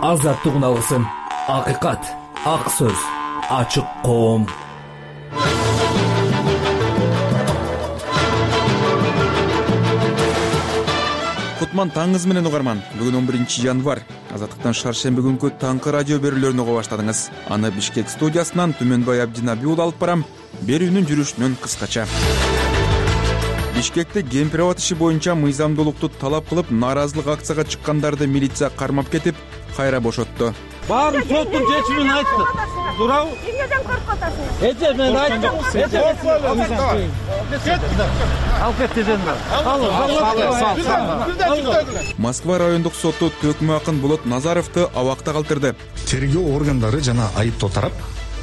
азаттыгын алгысың. Акыйкат, ак сөз, ачык коом. Кутман таңыңыз менен угарман. Бүгүн 11 январь. Азаттыктан шаршемби күнкү таңкы радио берүүлөрүнө уга баштадыңыз. Аны Бишкек студиясынан Түмөнбай Абдинаби уулу алып барам. Берүүнүн жүрүшүнөн кыскача. Бишкекте кемпир абад иши боюнча мыйзамдуулукту талап кылып нааразылык акцияга чыккандарды милиция кармап кетип, кайра бошотту. Баарын соттун чечимин айтты. Туурабы? Эмнеден коркуп атасың? Эже мен айттым. Алып кет дедим мен. Москва райондук соту Төкмө Акын Болот Назаровду абакта калтырды. Тергөө органдары жана айыптоо тарап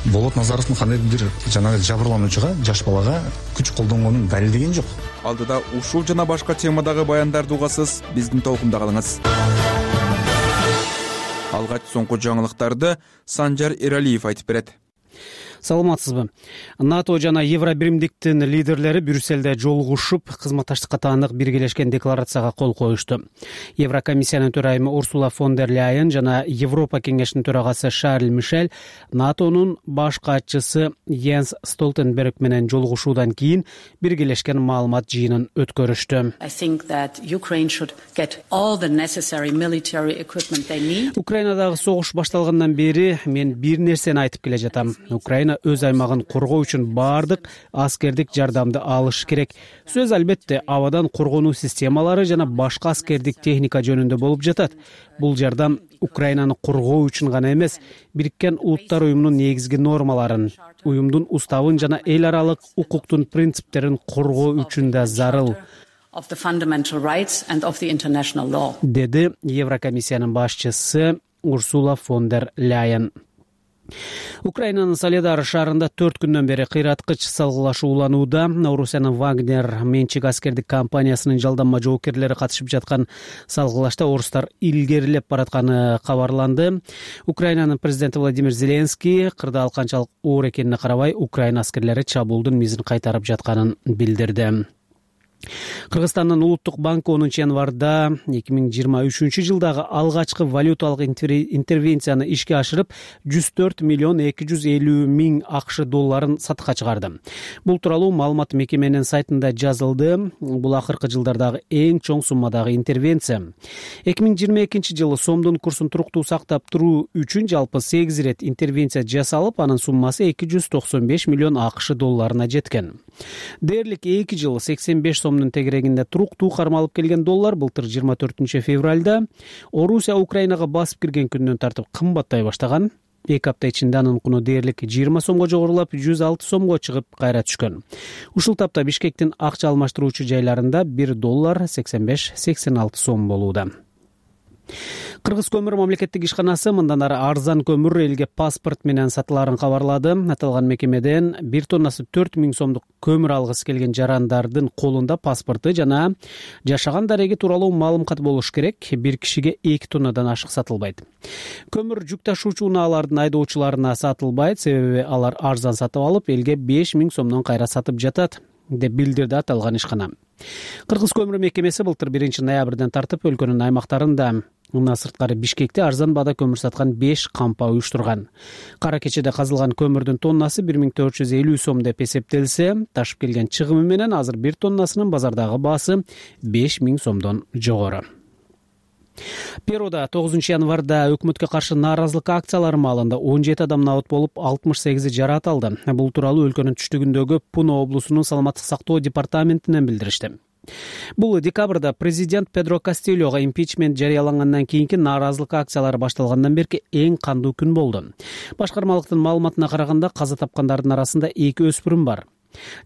Болот Назаровдун кандайдыр жанагы жабырлануучуга, жаш балага күч колдонгонун далилдеген жок. Алдыда ушул жана башка темадагы баяндарды угасыз, биздин толкунда калыңыз. Алгач соңку жаңылыктарды Санжар Эралиев айтып берет. Саламатсызбы? НАТО жана Евробиримдиктин лидерлери Брюссельде жолугушуп, кызматташтыкка таандык биргелешкен декларацияга кол коюшту. Еврокомиссиянын төрайымы Урсула фон дер Ляйен жана Европа кеңешинин төрагасы Шарль Мишель НАТОнун баш катчысы Йенс Столтенберг менен жолугушуудан кийин биргелешкен маалымат жыйынын өткөрүштү. Украинадагы согуш башталгандан бери мен бир нерсени айтып келе жатам. Украина өз аймагын коргоо үчүн баардык аскердик жардамды алыш керек. Сөз албетте абадан коргонуу системалары жана башка аскердик техника жөнүндө болуп жатат. Бул жардам Украинаны коргоо үчүн гана эмес, Бириккен Улуттар уюмунун негизги нормаларын, уюмдун уставын жана эл аралык укуктун принциптерин коргоо үчүн да зарыл, деди Еврокомиссиянын башчысы Урсула фон дер Ляйен. Украинанын Солидар шаарында 4 күндөн бери кыйраткыч салгылашуу уланууда. Орусиянын Вагнер менчик аскердик компаниясынын жалданма жоокерлери катышып жаткан салгылашта орустар илгерилеп баратканы кабарланды. Украинанын президенти Владимир Зеленский кырдаал канчалык оор экенине карабай, Украина аскерлери чабуулдун мизин кайтарып жатканын билдирди. Кыргызстандын улуттук банкы 10 январда 2023 жылдагы алгачкы валюталык интервенцияны ишке ашырып 104 миллион 250 миң АКШ долларын сатыкка чыгарды. Бул тууралуу маалымат мекеменин сайтында жазылды. Бул акыркы жылдардагы эң чоң суммадагы интервенция. 2022 жылы сомдун курсун туруктуу сактап туруу үчүн жалпы 8 ирет интервенция жасалып, анын суммасы 295 миллион АКШ долларына жеткен. Дээрлик 2 жыл 85 сомдун тегерегинде туруктуу кармалып келген доллар былтыр 24 февралда Орусия Украинага басып кирген күндөн тартып кымбаттай баштаган. 2 апта ичинде анын куну дээрлик 20 сомго жогорулап 106 сомго чыгып кайра түшкөн. Ушул тапта Бишкектин акча алмаштыруучу жайларында 1 доллар 85-86 сом болууда. Кыргыз көмүр мамлекеттик ишканасы мындан ары арзан көмүр элге паспорт менен сатыларын кабарлады. Аталган мекемеден 1 тоннасы 4000 сомдук көмүр алгысы келген жарандардын колунда паспорты жана жашаган дареги тууралуу маалымат болуш керек. Бир кишиге 2 тоннадан ашык сатылбайт. Көмүр жүк ташуучу унаалардын айдоочуларына сатылбайт, себеби алар арзан сатып алып, элге 5000 сомдон кайра сатып жатат, деп билдирди аталган ишкана. Кыргыз көмүр мекемеси былтыр 1 ноябрдан тартып өлкөнүн аймактарында мына сырткары Бишкекте арзан баада көмүр саткан 5 кампа уюштурган. Кара кечеде казылган көмүрдүн тоннасы 1450 сом деп эсептелсе, ташып келген чыгымы менен азыр 1 тоннасынын базардагы баасы 5000 сомдон жогору. Перуда 9 январда өкмөткө каршы нааразылык акциялары маалында 17 адам набыт болуп, 68 жараат алды. Бул тууралуу өлкөнүн түштүгүндөгү Пуно облусунун саламаттык сактоо департаментинен билдиришти. Бул декабрда президент Педро Кастильога импичмент жарыялангандан кийинки нааразылык акциялары башталгандан берки эң кандуу күн болду. Башкармалыктын маалыматына караганда каза тапкандардын арасында 2 өспүрүм бар.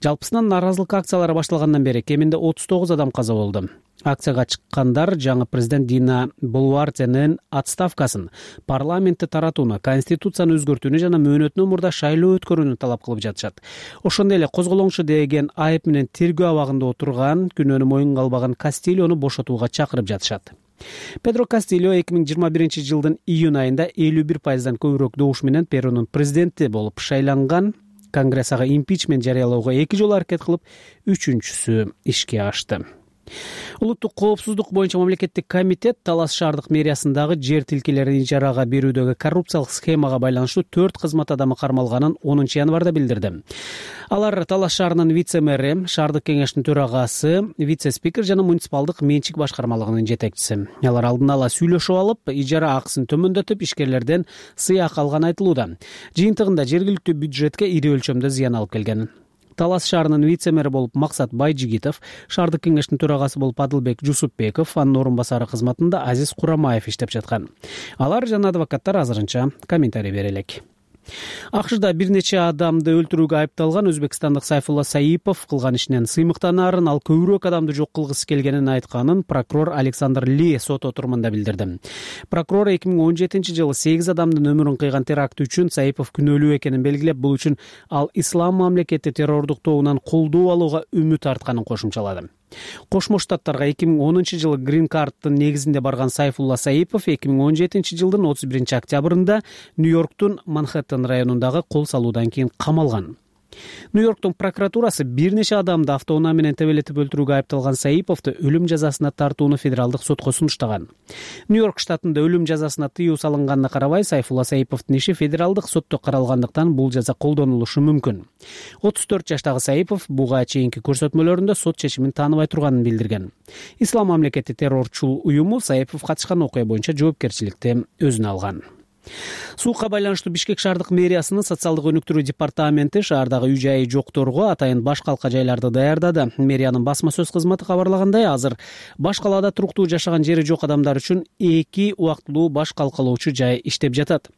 Жалпысынан нааразылык акциялары башталгандан бери кеминде 39 адам каза болду. Акцияга чыккандар жаңы президент Дина Болуартенин отставкасын, парламентти таратууну, конституцияны өзгөртүүнү жана мөөнөтүнөн мурда шайлоо өткөрүүнү талап кылып жатышат. Ошондой эле козголоңчу деген айып менен тергөө абагында отурган, күнөөнү моюнга албаган Кастильону бошотууга чакырып жатышат. Педро Кастильо 2021 жылдын июнь айында 51%дан көбүрөөк добуш менен Перунун президенти болуп шайланган. Конгресс ага импичмент жарыялоого 2 жолу аракет кылып, 3-үчүсү ишке ашты. Улуттук коопсуздук боюнча мамлекеттик комитет Талас шаардык мэриясындагы жер тилкелерин ижарага берүүдөгү коррупциялык схемага байланыштуу 4 кызмат адамы кармалганын 10 январда билдирди. Алар Талас шаарынын вице-мэри, шаардык кеңештин төрагасы, вице-спикер жана муниципалдык менчик башкармалыгынын жетекчиси. Алар алдын ала сүйлөшүп алып, ижара акысын төмөндөтүп, ишкерлерден сыйак алганы айтылууда. Жыйынтыгында жергиликтүү бюджетке ири өлчөмдө зыян алып келген. Талас шаарынын вице-мэри болуп Максат Байжигитов, шаардык кеңештин төрагасы болуп Адылбек Жусупбеков, анын орун басары кызматында Азиз Курамаев иштеп жаткан. Алар жана адвокаттар азырынча комментарий бере элек. АКШда бир нече адамды өлтүрүүгө айыпталган өзбекстандык Сайфулла Саипов кылган ишинен сыймыктанаарын, ал көбүрөөк адамды жок кылгысы келгенин айтканын прокурор Александр Ли сот отурумунда билдирди. Прокурор 2017-жылы 8 адамдын өмүрүн кыйган теракт үчүн Саипов күнөөлүү экенин белгилеп, бул үчүн ал ислам мамлекети террордук тобунан колдоо алууга үмүт артканын кошумчалады. Кошмо Штаттарга 2010-жылы Green Card'тын негизинде барган Сайфулла Саипов 2017-жылдын 31 октябрында Нью-Йорктун Манхэттен районундагы кол салуудан кийин камалган. Нью-Йорктун прокуратурасы бир нече адамды автоунаа менен тебелетип өлтүрүүгө айыпталган Саиповду өлүм жазасына тартууну федералдык сотко сунуштаган. Нью-Йорк штатында өлүм жазасына тыюу салынганына карабай, Сайфулла Саиповдун иши федералдык сотто каралгандыктан бул жаза колдонулушу мүмкүн. 34 жаштагы Саипов буга чейинки көрсөтмөлөрүндө сот чечимин тааныбай турганын билдирген. Ислам мамлекети террорчул уюму Саипов катышкан окуя боюнча жоопкерчиликти өзүнө алган. Суукка байланыштуу Бишкек шаардык мэриясынын социалдык өнүктүрүү департаменти шаардагы үй-жайы жокторго атайын баш калка жайларды даярдады. Мэриянын басма сөз кызматы кабарлагандай, азыр баш калаада туруктуу жашаган жери жок адамдар үчүн 2 убактылуу баш калкалоочу жай иштеп жатат.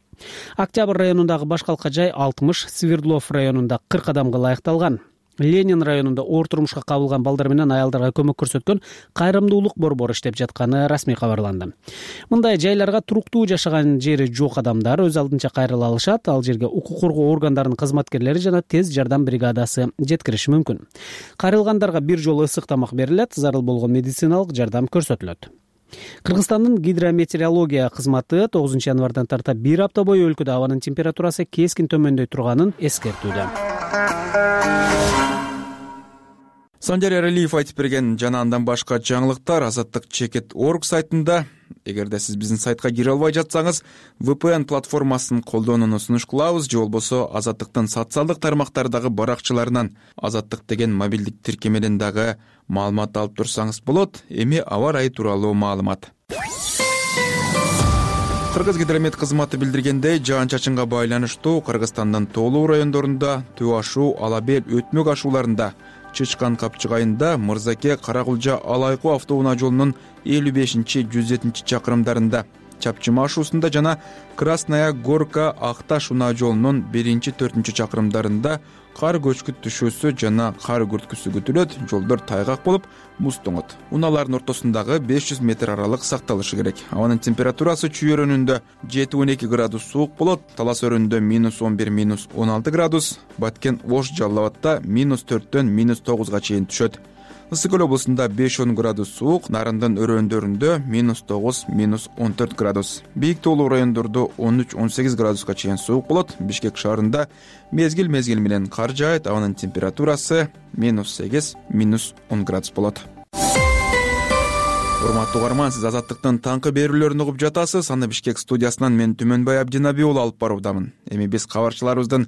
Октябрь районундагы баш калка жай 60, Свердлов районунда 40 адамга ылайыкталган. Ленин районунда оор турмушка кабылган балдар менен аялдарга көмөк көрсөткөн кайрымдуулук борбору иштеп жатканы расмий кабарланды. Мындай жайларга туруктуу жашаган жери жок адамдар өз алдынча кайрыла алышат. Ал жерге укук коргоо органдарынын кызматкерлери жана тез жардам бригадасы жеткириши мүмкүн. Кайрылгандарга бир жолу ысык тамак берилет, зарыл болгон медициналык жардам көрсөтүлөт. Кыргызстандын гидрометеорология кызматы 9 январдан тарта бир апта бою өлкөдө абанын температурасы кескин төмөндөй турганын эскертүүдө. Санжар Эралиев айтып берген жана андан башка жаңылыктар Азаттык.org сайтында. Эгерде сиз биздин сайтка кире албай жатсаңыз, VPN платформасын колдонууну сунуш кылабыз, же болбосо Азаттыктын социалдык тармактардагы баракчаларынан Азаттык деген мобилдик тиркемеден дагы маалымат алып турсаңыз болот. Эми аба ырайы тууралуу маалымат. Кыргыз гидромет кызматы билдиргендей, жаан-чачынга байланыштуу Кыргызстандын тоолуу райондорунда Төө ашуу, Алабел, Өтмөк ашууларында, Чычкан Капчык айында Мырзаке Каракулжа Алайкуу автоунаа жолунун 55-107 чакырымдарында, Чапчыма ашуусунда жана Красная Горка Акташ унаа жолунун 1-4 чакырымдарында кар көчкүт түшүүсү жана кар күрткүсү күтүлөт, жолдор тайгак болуп, муз тоңот. Унаалардын ортосундагы 500 метр аралык сакталышы керек. Абанын температурасы Чүй өрөөнүндө 7-12 градус суук болот, Талас өрөөнүндө -11, -16 градус, Баткен Ош Жалал Абадта -4-төн -9га чейин түшөт. Ысык көл облусунда 5-10 градус суук, Нарындын өрөөндөрүндө -9, -14 градус. Бийик тоолуу райондордо 13-18 градуска чейин суук болот. Бишкек шаарында мезгил менен кар жаайт, абанын температурасы -8, -10 градус болот. Урматтуу угарман, сиз Азаттыктын таңкы берүүлөрүн угуп жатасыз. Аны Бишкек студиясынан мен Түмөнбай Абдинаби уулу алып баруудамын. Эми биз кабарчыларыбыздын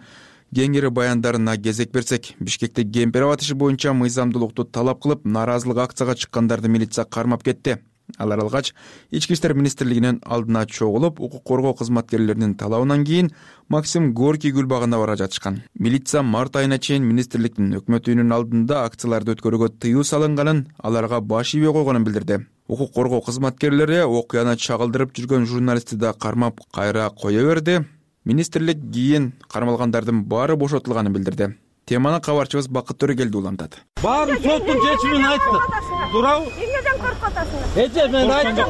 кеңири баяндарына кезек берсек, Бишкекте кемпир аба иши боюнча мыйзамдуулукту талап кылып, нааразылык акцияга чыккандарды милиция кармап кетти. Алар алгач Ички иштер министрлигинин алдына чогулуп, укук коргоо кызматкерлеринин талабынан кийин Максим Горький гүл багына бара жатышкан. Милиция март айына чейин министрликтин өкмөт үйүнүнүн алдында акцияларды өткөрүүгө тыюу салынганын, аларга баш ийбей койгонун билдирди. Укук коргоо кызматкерлери окуяны чагылдырып жүргөн журналистти да кармап кайра кое берди. Министрлик кийин кармалгандардын баары бошотулганын билдирди. Теманы кабарчыбыз Бакыт Төрөгелди улантат. Баарын соттун чечимин айтты. Туурабы? Эмнеден коркуп атасыңар? Мен айттым.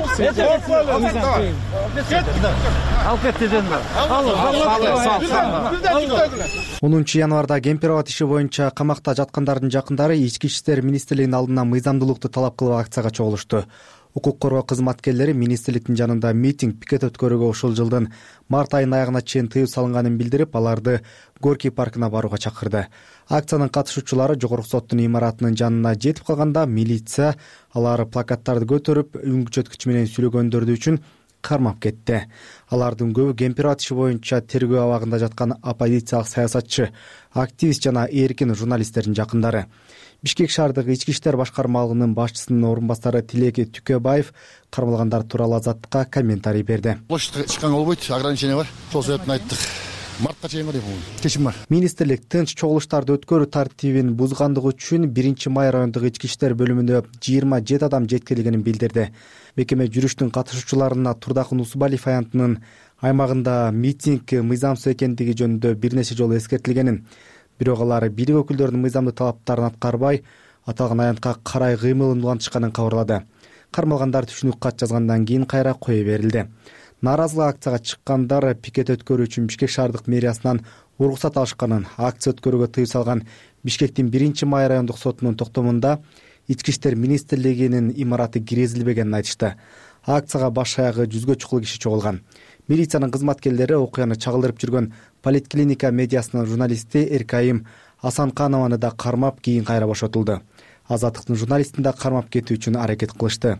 Алып кет дедимби? 10 январда кемпир аба иши боюнча камакта жаткандардын жакындары Ички иштер министрлигинин алдына мыйзамдуулукту талап кылып акцияга чогулушту. Укук коргоо кызматкерлери министрликтин жанында митинг пикет өткөрүүгө ушул жылдын март айынын аягына чейин тыюу салынганын билдирип, аларды Горький паркына барууга чакырды. Акциянын катышуучулары жогорку соттун имаратынын жанына жетип калганда милиция алар плакаттарды көтөрүп үн күчөткүч менен сүйлөгөндөрдү үчүн кармап кетти. Алардын көбү Кемпирова иши боюнча тергөө абагында жаткан оппозициялык саясатчы, активист жана эркин журналисттердин жакындары. Бишкек шаардык ички иштер башкармалыгынын башчысынын орун басары Тилек Түкөбаев кармалгандар тууралуу Азаттыкка комментарий берди. Площадька чыкканга болбойт, ограничение бар. Сол себептен айттык. Мартка чейин дейм, чечим бар. Министрлик тынч чогулуштарды өткөрүү тартибин бузгандыгы үчүн 1-май райондук ички иштер бөлүмүнө 27 адам жеткирилгенин билдирди. Мекеме жүрүштүн катышуучуларына Турдакы Нусубалиев аянтынын аймагында митинг мыйзамсыз экендиги жөнүндө бир нече жолу эскертилгенин, бирок алар бийлик өкүлдөрүнүн мыйзамдуу талаптарын аткарбай, аталган аянтка карай кыймылын улантышканын кабарлады. Кармалгандар түшүнүк кат жазгандан кийин кайра кое берилди. Нааразылык акцияга чыккандар пикет өткөрүү үчүн Бишкек шаардык мэриясынан уруксат алышканын, акция өткөрүүгө тыюу салган Бишкектин 1-май райондук сотунун токтомунда Ички иштер министрлигинин имараты киргизилбегенин айтышты. Акцияга баш аягы 100гө чукул киши чогулган. Милициянын кызматкерлери окуяны чагылдырып жүргөн Политклиника медиасынын журналисти Эркайым Асанканованы да кармап, кийин кайра бошотулду. Азаттыктын журналистин да кармап кетүү үчүн аракет кылышты.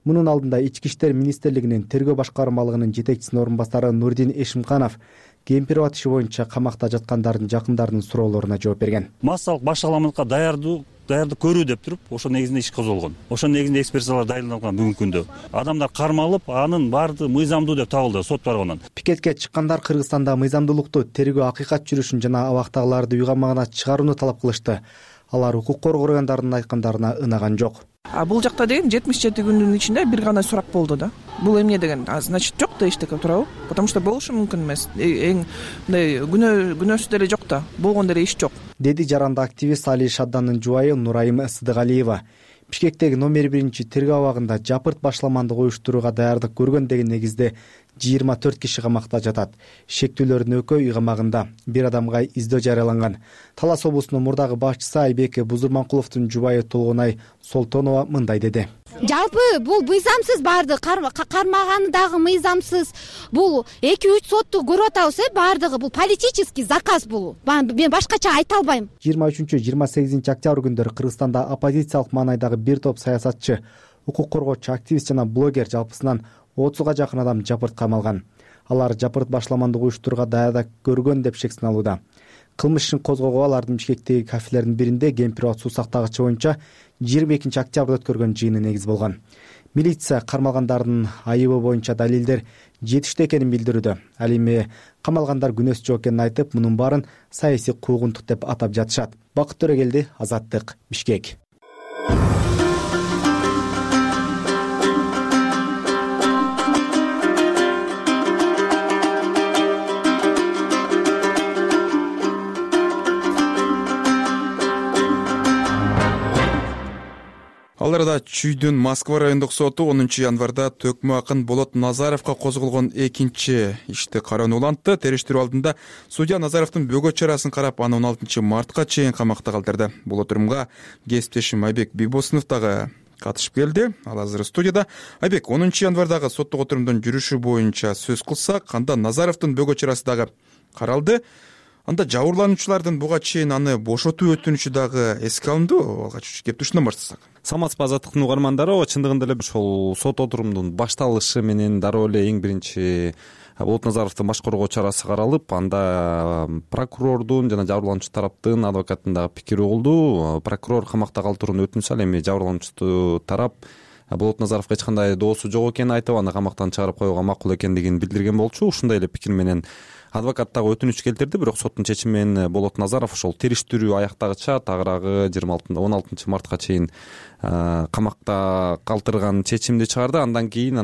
Мунун алдында Ички иштер министрлигинин тергөө башкармалыгынын жетекчисинин орун басары Нурдин Эшимканов Кемпирова иши боюнча камакта жаткандардын жакындарынын суроолоруна жооп берген. Массалык башаламатка даярдык көрүү деп туруп, ошо негизинде иш козголгон. Ошо негизинде экспертизалар дайындалган бүгүнкү күндө. Адамдар кармалып, анын баардыгы мыйзамдуу деп табылды сот тарабынан. Пикетке чыккандар Кыргызстанда мыйзамдуулукту, тергөө акыйкат жүрүшүн жана абактагыларды үй камагына чыгарууну талап кылышты. Алар укук коргоо органдарынын айткандарына ынаган жок. Бул жакта деген 77 күндүн ичинде бир гана сурак болду да. Бул эмне деген? Значит, жок да эчтеке, туурабы? Потому что болушу мүмкүн эмес. Эң мындай күнөөсү деле жок да. Болгон деле иш жок. Деди жаранды активист Али Шадданын жубайы Нурайым Сыдыгалиева. Бишкектеги номер 1 тергөө абагында жапырт башламандык уюштурууга даярдык көргөн деген негизде 24 киши камакта жатат. Шектүүлөрдүн экөө үй камагында. Бир адамга издөө жарыяланган. Талас облусунун мурдагы башчысы Айбек Бузурманкуловдун жубайы Толгонай Солтонова мындай деди. Жалпы бул мыйзамсыз барды кармаганы дагы мыйзамсыз. Бул 2-3 сотту көрүп атабыз, бардыгы бул политический заказ бул. Мен башкача айта албайм. 23-28 октябрь күндөрү Кыргызстанда оппозициялык маанайдагы бир топ саясатчы, укук коргоочу, активист жана блогер жалпысынан 30га жакын адам жапырт камалган. Алар жапырт башламандык уюштурууга даярдык көргөн деп шек сыналууда. Кылмыш ишин козгоого алардын Бишкектеги кафелердин биринде Кемпирова суу сактагычы боюнча 22 октябрда өткөргөн жыйыны негиз болгон. Милиция кармалгандардын айыбы боюнча далилдер жетиштүү экенин билдирүүдө. Ал эми камалгандар күнөөсүз жок экенин айтып, мунун баарын саясий куугунтук деп атап жатышат. Бакыт Төрөгелди, Азаттык, Бишкек. Ал арада Чүйдүн Москва райондук соту 10 январда төкмө акын Болот Назаровго козголгон экинчи ишти кароону улантты. Териштирүү алдында судья Назаровдун бөгөө чарасын карап, аны 16 мартка чейин камакта калтырды. Бул отурумга кесиптешим Айбек Бибосунов дагы катышып келди. Ал азыр студияда. Айбек, 10 январдагы соттук отурумдун жүрүшү боюнча сөз кылсак, анда Назаровдун бөгөө чарасы дагы каралды. Анда жабырлануучулардын буга чейин аны бошотуу өтүнүчү дагы эске алынды. Алгач кеп ушундан баштасак. Саламатсызбы, Азаттыктын угармандары. Чындыгында эле ошол сот отурумдун башталышы менен дароо эле эң биринчи Болот Назаровдун баш коргоо чарасы каралып, анда прокурордун жана жабырлануучу тараптын адвокатынын дагы пикири угулду. Прокурор камакта калтырууну өтүнүш ал эми жабырлануучу тарап Болот Назаровго эч кандай доосу жок экенин айтып, аны камактан чыгарып коюуга макул экендигин билдирген болчу. Ушундай эле пикир менен адвокат дагы өтүнүч келтирди, бирок соттун чечими менен Болот Назаров ошол териштирүү аяктагыча тагыраагы 16 мартка чейин камакта калтырган чечимди чыгарды. Андан кийин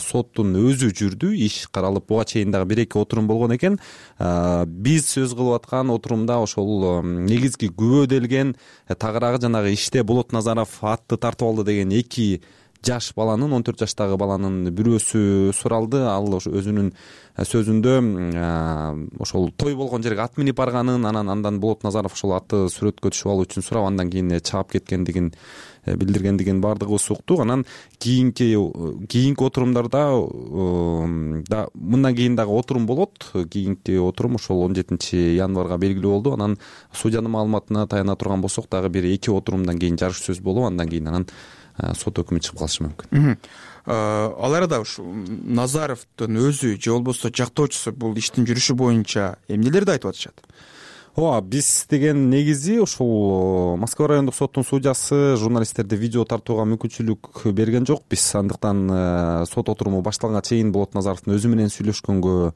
соттун өзү жүрдү, иш каралып, буга чейин дагы 1-2 отурум болгон экен. Биз сөз кылып аткан отурумда ошол негизги күбөделген тагыраагы жанагы иште Болот Назаров атты тартып алды деген 2 жаш баланын 14 жаштагы баланын бирөөсү суралды. Ал өзүнүн сөзүндө ошол той болгон жерге ат минип барганын, андан Болот Назаров ошол атты сүрөткө түшүп алуу үчүн сурап, андан кийин чаап кеткендигин билдиргендигин баардыгыбыз уктук. Анан кийинки отурумдарда мындан кийин дагы отурум болот. Кийинки отурум ошол 17 январга белгилүү болду. Анан судьянын маалыматына таяна турган болсок, дагы бир 2 отурумдан кийин жарыш сөз болуп, андан кийин сот өкүмү чыгып калышы мүмкүн. Ал арада ушу Назаровдун өзү же болбосо жактоочусу бул иштин жүрүшү боюнча эмнелерди айтып атышат? Ооба, биз деген негизи ушул Москва райондук соттун судьясы журналисттерди видео тартууга мүмкүнчүлүк берген жок. Биз андыктан сот отуруму башталганга чейин Болот Назаровдун өзү менен сүйлөшкөнгө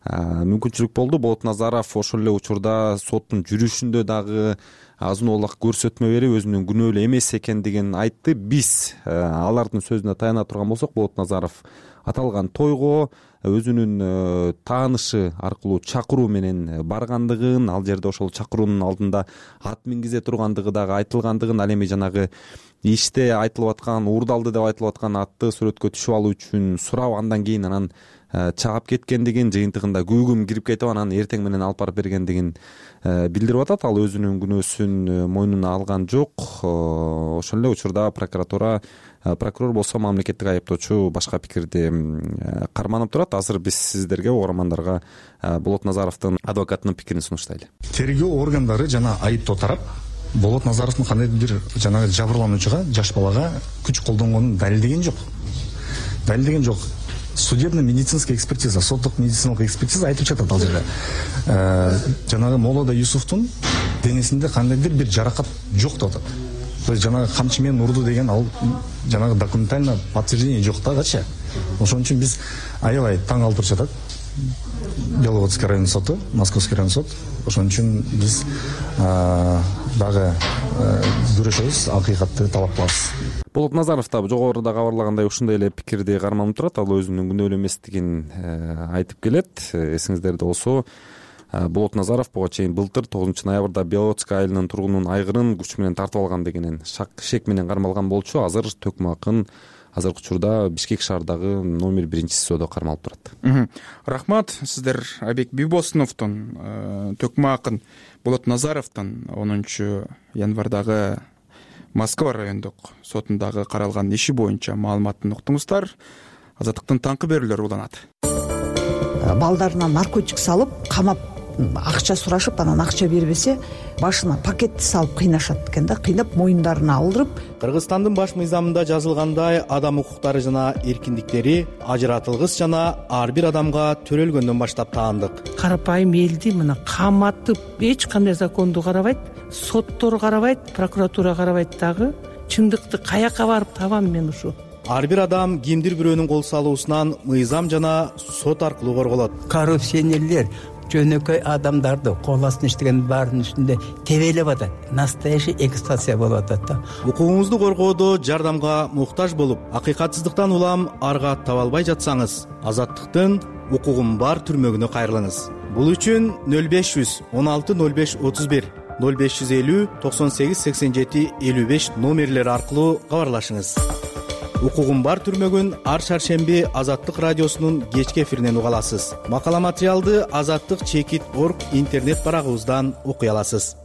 мүмкүнчүлүк болду. Болот Назаров ошол эле учурда соттун жүрүшүндө дагы азын-олак көрсөтмө берип, өзүнүн күнөөлүү эмес экендигин айтты. Биз алардын сөзүнө таяна турган болсок, Болот Назаров аталган тойго өзүнүн таанышы аркылуу чакыруу менен баргандыгын, ал жерде ошол чакыруунун алдында ат мингизе тургандыгы дагы айтылгандыгын, ал эми жанагы иште айтылып аткан, уурдалды деп айтылып аткан атты сүрөткө түшүп алуу үчүн сурап, андан кийин чаап кеткендигин, жыйынтыгында күйгүм кирип кетип, анан эртең менен алып барып бергендигин билдирип атат. Ал өзүнүн күнөөсүн мойнуна алган жок. Ошол эле учурда прокурор болсо мамлекеттик айыптоочу башка пикирди карманып турат. Азыр биз сиздерге, угармандарга, Болот Назаровдун адвокатынын пикирин сунуштайлы. Тергөө органдары жана айыптоо тарап Болот Назаровдун кандайдыр бир жанагы жабырлануучуга, жаш балага күч колдонгонун далилдеген жок. Судебно-медицинская экспертиза, соттук медициналык экспертиза айтып жатат ал жерде. Жанагы Молода Юсуфтун денесинде кандайдыр бир жаракат жок деп атат. То есть жанагы камчы менен урду деген ал жанагы документально подтверждение жок дагычы. Ошон үчүн биз аябай таң калтырып жатат. Беловодский район соту, Московский район сот. Ошон үчүн биз дагы күрөшөбүз, акыйкатты талап кылабыз. Болот Назаров да жогоруда кабарлагандай ушундай эле пикирди карманып турат. Ал өзүнүн күнөөлүү эместигин айтып келет. Эсиңиздерде болсо, Болот Назаров буга чейин былтыр 9 ноябрда Беловодский айылынын тургунунун айгырын күч менен тартып алган дегенен шек менен кармалган болчу. Азыр Төкмө акын азыркы учурда Бишкек шаарындагы номер 1-СИЗОдо кармалып турат. Рахмат. Сиздер Айбек Бибосуновдун, Төкмө акын Болот Назаровдун 10 январдагы Москва райондук сотундагы каралган иши боюнча маалыматын уктуңуздар. Азаттыктын таңкы берүүлөрү уланат. Балдарына наркотик салып, камап, акча сурашып, анан акча бербесе, башына пакетти салып кыйнашат экен да, кыйнап моюндарына алдырып. Кыргызстандын баш мыйзамында жазылгандай, адам укуктары жана эркиндиктери ажыратылгыс жана ар бир адамга төрөлгөндөн баштап таандык. Карапайым элди мына каматып, эч кандай законду карабайт, соттор карабайт, прокуратура карабайт дагы. Чындыкты каяка барып табам мен ушу? Ар бир адам кимдир бирөөнүн кол салуусунан мыйзам жана сот аркылуу корголот. Коррупционерлер жөнөкөй адамдарды кол астына иштеген баардын үстүндө тебелеп атат. Настоящий эксплуатация болуп атат да. Укугуңузду коргоодо жардамга муктаж болуп, акыйкатсыздыктан улам арга таба албай жатсаңыз, Азаттыктын укугум бар түрмөгүнө кайрылыңыз. Бул үчүн 0500 16 05 31 0550 98 87 55 номерлери аркылуу кабарлашыңыз. Укугум бар түрмөгүн ар шаршемби Азаттык радиосунун кечки эфиринен уга аласыз. Макала материалды azattik.org интернет барагыбыздан окуй аласыз.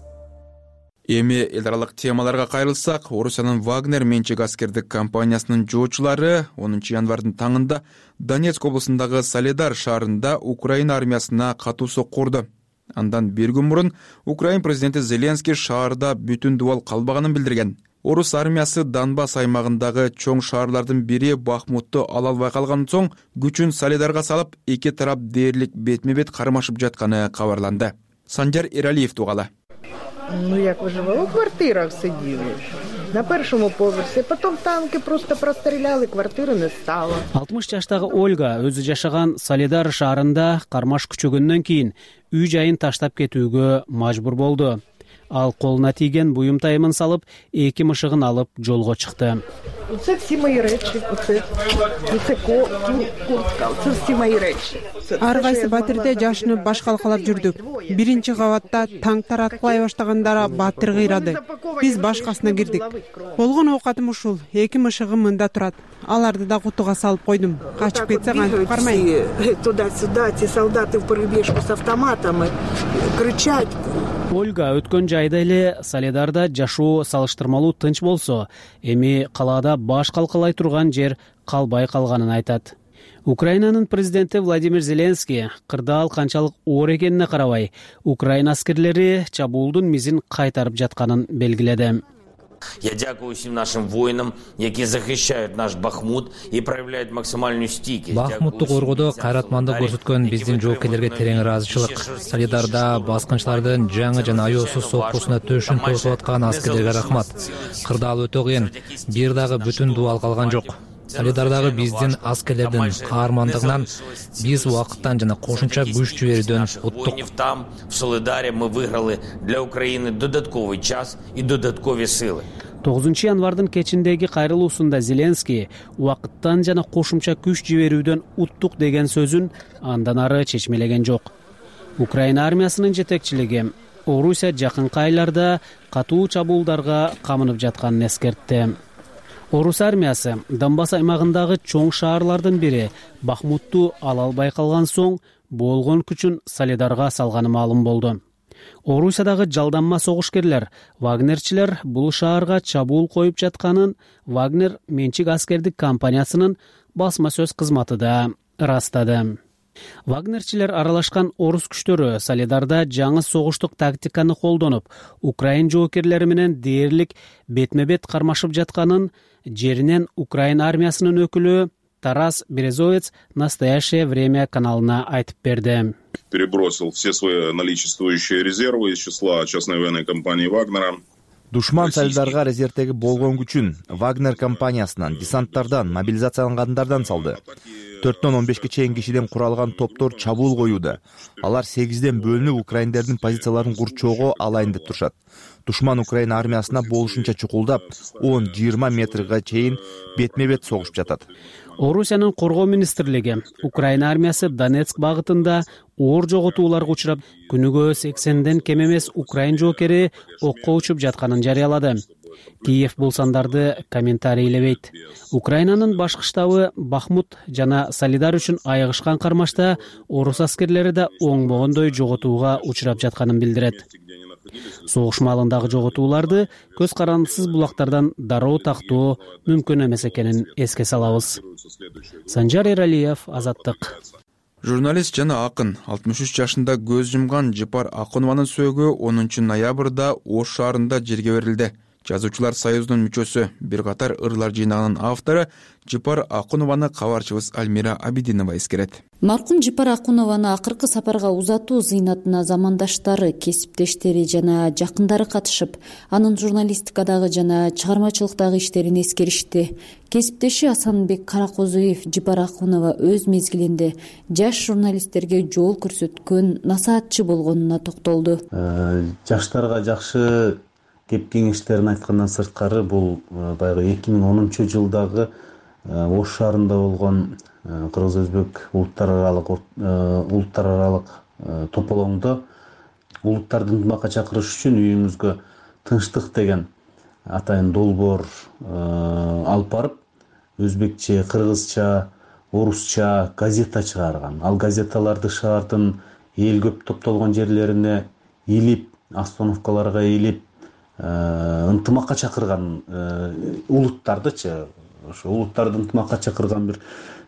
Эми эл аралык темаларга кайрылсак, Орусиянын Вагнер менчик аскердик компаниясынын жоочулары 10 январдын таңында Донецк облусундагы Солидар шаарында Украина армиясына катуу сокку урду. Андан бир күн мурун Украина президенти Зеленский шаарда бүтүн дубал калбаганын билдирген. Орус армиясы Донбасс аймагындагы чоң шаарлардын бири Бахмутту ала албай калган соң күчүн Солидарга салып, эки тарап дээрлик бетме-бет кармашып жатканы кабарланды. Санжар Эралиев тугала. Як выживала, в квартирах сидели. На першому поверсі, потом танки просто простреляли, квартири не стало. 60 жаштагы Ольга өзү жашаган Солидар шаарында кармаш күчөгөндөн кийин үй жайын таштап кетүүгө мажбур болду. ал колуна тийген буюм тайымын салып 2 мышыгын алып жолго чыкты. Це всі мої речі, це куртка, це всі мої речі. Ар кайсы батирде жашынып баш калкалап жүрдүк. Биринчи кабатта танктар аткылай баштаганда батир кыйрады. Биз башкасына кирдик. Болгон оокатым ушул. 2 мышыгым мында турат. Аларды да кутуга салып койдум. Качып кетсе кантип кармайм. Туда-сюда, ці солдаты в перебежку с автоматами кричать. Ольга өткөн жайда эле Солидарда жашоо салыштырмалуу тынч болсо, эми калаада баш калкалай турган жер калбай калганын айтат. Украинанын президенти Владимир Зеленский кырдаал канчалык оор экенине карабай, Украина аскерлери чабуулдун мизин кайтарып жатканын белгиледи. Я дякую всем нашим воинам, які захищают наш Бахмут и проявляют максимальную стійкість. Бахмутту коргоодо кайратмандык көрсөткөн биздин жоокерлерге терең ыраазычылык. Солидарда баскынчылардын жаңы жана аеосуз соккусуна төшүн тосуп аткан аскерлерге рахмат. Кырдаал өтө кыйын, бир дагы бүтүн дубал калган жок. Солидардагы биздин аскерлердин каармандыгынан биз убакыттан жана кошумча күч жиберүүдөн уттук. Там в Солидаре мы выиграли для Украины додатковый час и додатковые силы. 9 январдын кечиндеги кайрылуусунда Зеленский убакыттан жана кошумча күч жиберүүдөн уттук деген сөзүн андан ары чечмелеген жок. Украина армиясынын жетекчилиги Орусия жакынкы айларда катуу чабуулдарга камынып жатканын эскертти. Орус армиясы Донбасс аймагындагы чоң шаарлардын бири Бахмутту ала албай калган соң болгон күчүн Солидарга салганы маалым болду. Орусиядагы жалданма согушкерлер Вагнерчилер бул шаарга чабуул коюп жатканын Вагнер менчик аскердик компаниясынын басма сөз кызматы да ырастады. Вагнерчилер аралашкан орус күчтөрү Солидарда жаңы согуштук тактиканы колдонуп, Украин жоокерлери менен дээрлик бетме-бет кармашып жатканын жеринен Украина армиясынын өкүлү Тарас Березовец «Настоящее время» каналына айтып берди. Перебросил все свои наличествующие резервы из числа частной военной компании Вагнера. Душман Солидарга резервдеги болгон күчүн Вагнер компаниясынан, десанттардан, мобилизациялангандардан салды. 4-төн 15-ке чейин кишиден куралган топтор чабуул коюуда. Алар 8ден бөлүнүп Украиндердин позицияларын курчоого алайын деп турушат. Душман Украина армиясына болушунча чукулдап, 10-20 метрге чейин бетме-бет согушуп жатат. Орусиянын коргоо министрлиги Украина армиясы Донецк багытында оор жоготууларга учурап, күнүгө 80ден кем эмес украин жоокери окко учуп жатканын жарыялады. Киев бул сандарды комментарийлебейт. Украинанын башкы штабы Бахмут жана Солидар үчүн айыгышкан кармашта орус аскерлери да оңбогондой жоготууга учурап жатканын билдирет. Согуш маалындагы жоготууларды көз карандысыз булактардан дароо тактоо мүмкүн эмес экенин эске салабыз. Санжар Эралиев, Азаттык. Журналист жана акын 63 жашында көз жумган Жыпар Акунованын сөөгү 10 ноябрда Ош шаарында жерге берилди. Жазуучулар союзунун мүчөсү, бир катар ырлар жыйнагынын автору Жыпар Акунованы кабарчыбыз Альмира Абидинова эскерет. Маркум Жыпар Акунованы акыркы сапарга узатуу зыйнатына замандаштары, кесиптештери жана жакындары катышып, анын журналистикадагы жана чыгармачылыктагы иштерин эскеришти. Кесиптеши Асанбек Каракозуев Жыпар Акунова өз мезгилинде жаш журналисттерге жол көрсөткөн насаатчы болгонуна токтолду. Жаштарга жакшы кеп кеңештерин айткандан сырткары бул баягы 2010-жылдагы Ош шаарында болгон кыргыз-өзбек улуттар аралык тополоңдо улуттарды ынтымакка чакырыш үчүн үйүңүзгө тынчтык деген атайын долбоор алып барып, өзбекче, кыргызча, орусча газета чыгарган. Ал газеталарды шаардын эл көп топтолгон жерлерине илип, остановкаларга илип, ынтымакка чакырган улуттардычы, ошо улуттарды ынтымакка чакырган бир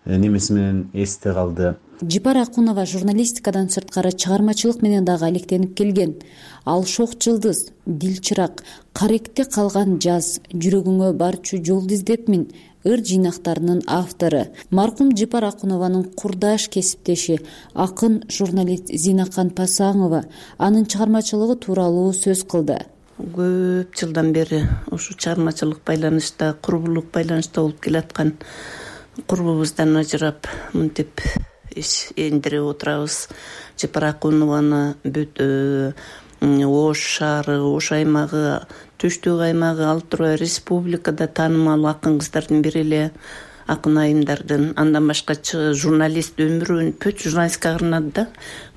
немеси менен эсте калды. Жыпар Акунова журналистикадан сырткары чыгармачылык менен дагы алектенип келген. Ал шок жылдыз, дил чырак, каректе калган жаз, жүрөгүңө барчу жолду издепмин ыр жыйнактарынын автору. Маркум Жыпар Акунованын курдаш кесиптеши, акын журналист Зинакан Пасаңова анын чыгармачылыгы тууралуу сөз кылды. Көп жылдан бери ушу чыгармачылык байланышта, курбулук байланышта болуп келаткан курбубуздан ажырап, мынтип эндирип отурабыз. Жыпар Акунованы Ош шаары, Ош аймагы, Түштүк аймагы, ал тургай республикада таанымал акын кыздардын бири эле, акын айымдардын. Андан башка журналист өмүрүн бүт журналистикага арнады да.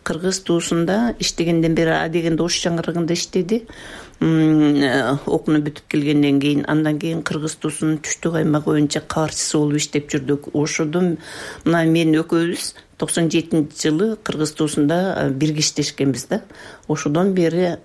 Кыргыз туусунда иштегенден бери А дегенде Ош жаңгырыгында иштеди. Окууну бүтүп келгенден кийин, андан кийин Кыргыз туусунун Түштүк аймагы боюнча кабарчысы болуп иштеп жүрдүк. Ошодон мына мен экөөбүз 97-жылы Кыргыз туусунда бирге иштешкенбиз да. Ошодон бери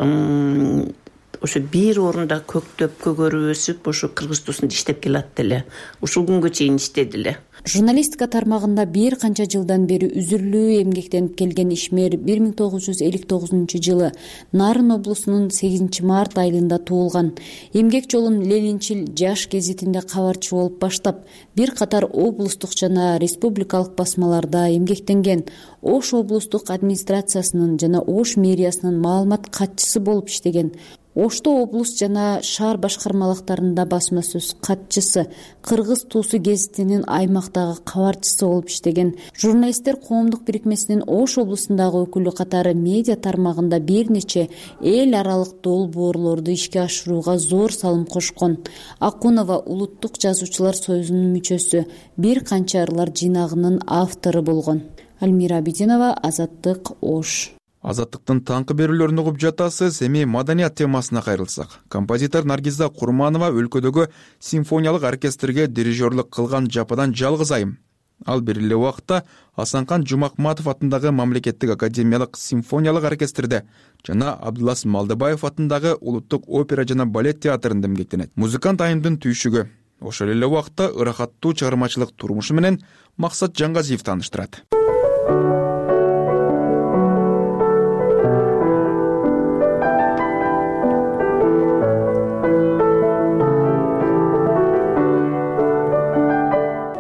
ошо бир орунда көктөп, көгөрүп өсүп, ошо Кыргыз туусунда иштеп келатты эле. Ушул күнгө чейин иштеди эле. Журналистика тармагында бир канча жылдан бери үзүрлүү эмгектенип келген ишмер 1959-жылы Нарын облусунун 8-март айылында туулган. Эмгек жолун Ленинчил жаш гезитинде кабарчы болуп баштап, бир катар облустук жана республикалык басмаларда эмгектенген. Ош облустук администрациясынын жана Ош мэриясынын маалымат катчысы болуп иштеген. Ошто облус жана шаар башкармалыктарында басма сөз катчысы, Кыргыз туусу гезитинин аймактагы кабарчысы болуп иштеген. Журналисттер коомдук бирикмесинин Ош облусундагы өкүлү катары медиа тармагында бир нече эл аралык долбоорлорду ишке ашырууга зор салым кошкон. Акунова улуттук жазуучулар союзунун мүчөсү, бир канча ырлар жыйнагынын автору болгон. Альмира Абидинова, Азаттык, Ош. Азаттыктын таңкы берүүлөрүн угуп жатасыз. Эми маданият темасына кайрылсак. Композитор Наргиза Курманова өлкөдөгү симфониялык оркестрге дирижерлук кылган жападан жалгыз айым. Ал бир эле убакта Асанкан Жумакматов атындагы мамлекеттик академиялык симфониялык оркестрде жана Абдулас Малдыбаев атындагы улуттук опера жана балет театрында эмгектенет. Музыкант айымдын түйшүгү ошол эле убакта ырахаттуу чыгармачылык турмушу менен Максат Жаңгазиев тааныштырат.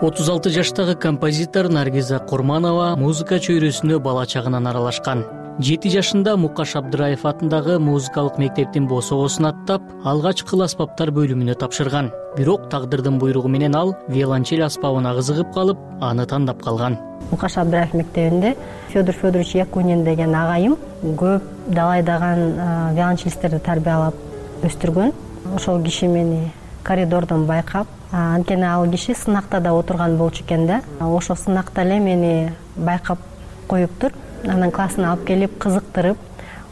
36 жаштагы композитор Наргиза Курманова музыка чөйрөсүнө бала чагынан аралашкан. 7 жашында Мукаш Абдыраев атындагы музыкалык мектептин босогосун аттап, алгачкы аспаптар бөлүмүнө тапшырган. Бирок тагдырдын буйругу менен ал виолончель аспабына кызыгып калып, аны тандап калган. Мукаш Абдыраев мектебинде Федор Федорович Якунин деген агайым көп далайдаган виолончелисттерди тарбиялап өстүргөн. Ошол киши мени коридордон байкап, анткени ал киши сынакта да отурган болчу экен да. Ошол сынакта эле мени байкап коюптур. Анан классына алып келип кызыктырып,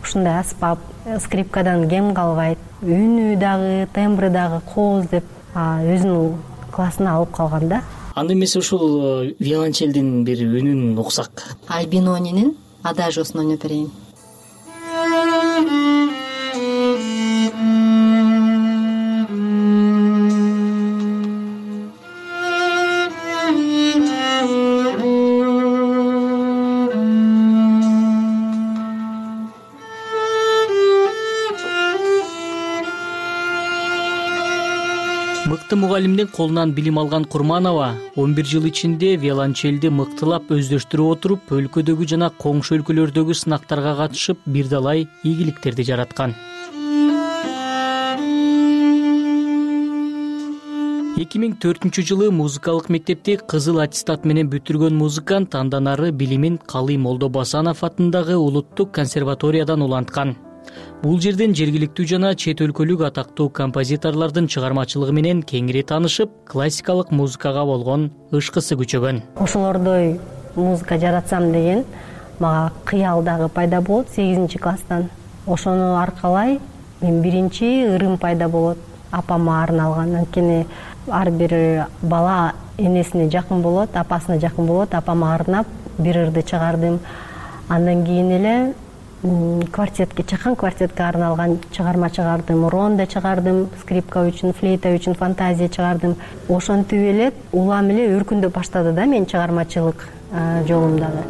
ушундай аспап, скрипкадан кем калбайт, үнү дагы, тембры дагы кооз деп өзүнүн классына алып калган да. Анда эмесе ушул виолончелдин бир үнүн уксак. Альбинонинин адажосун ойноп берейин. Мыкты мугалимдин колунан билим алган Курманова 11 жыл ичинде виолончелди мыктылап өздөштүрүп отуруп, өлкөдөгү жана коңшу өлкөлөрдөгү сынактарга катышып, бир далай ийгиликтерди жараткан. 2004-жылы музыкалык мектепти кызыл аттестат менен бүтүргөн музыкант андан ары билимин Калый Молдобасанов атындагы улуттук консерваториядан уланткан. Бул жерден жергиликтүү жана чет өлкөлүк атактуу композиторлордун чыгармачылыгы менен кеңири таанышып, классикалык музыкага болгон ышкысы күчөгөн. Ошолордой музыка жаратсам деген мага кыял дагы пайда болот 8-класстан. Ошону аркалай мен биринчи ырым пайда болот, апама арналган. Анткени ар бир бала энесине жакын болот, апасына жакын болот. Апама арнап бир ырды чыгардым. Андан кийин эле квартетке, чакан квартетке арналган чыгарма чыгардым, ронда чыгардым, скрипка үчүн, флейта үчүн, фантазия чыгардым. Ошентип эле улам эле өркүндөп баштады да мен чыгармачылык жолумдагы.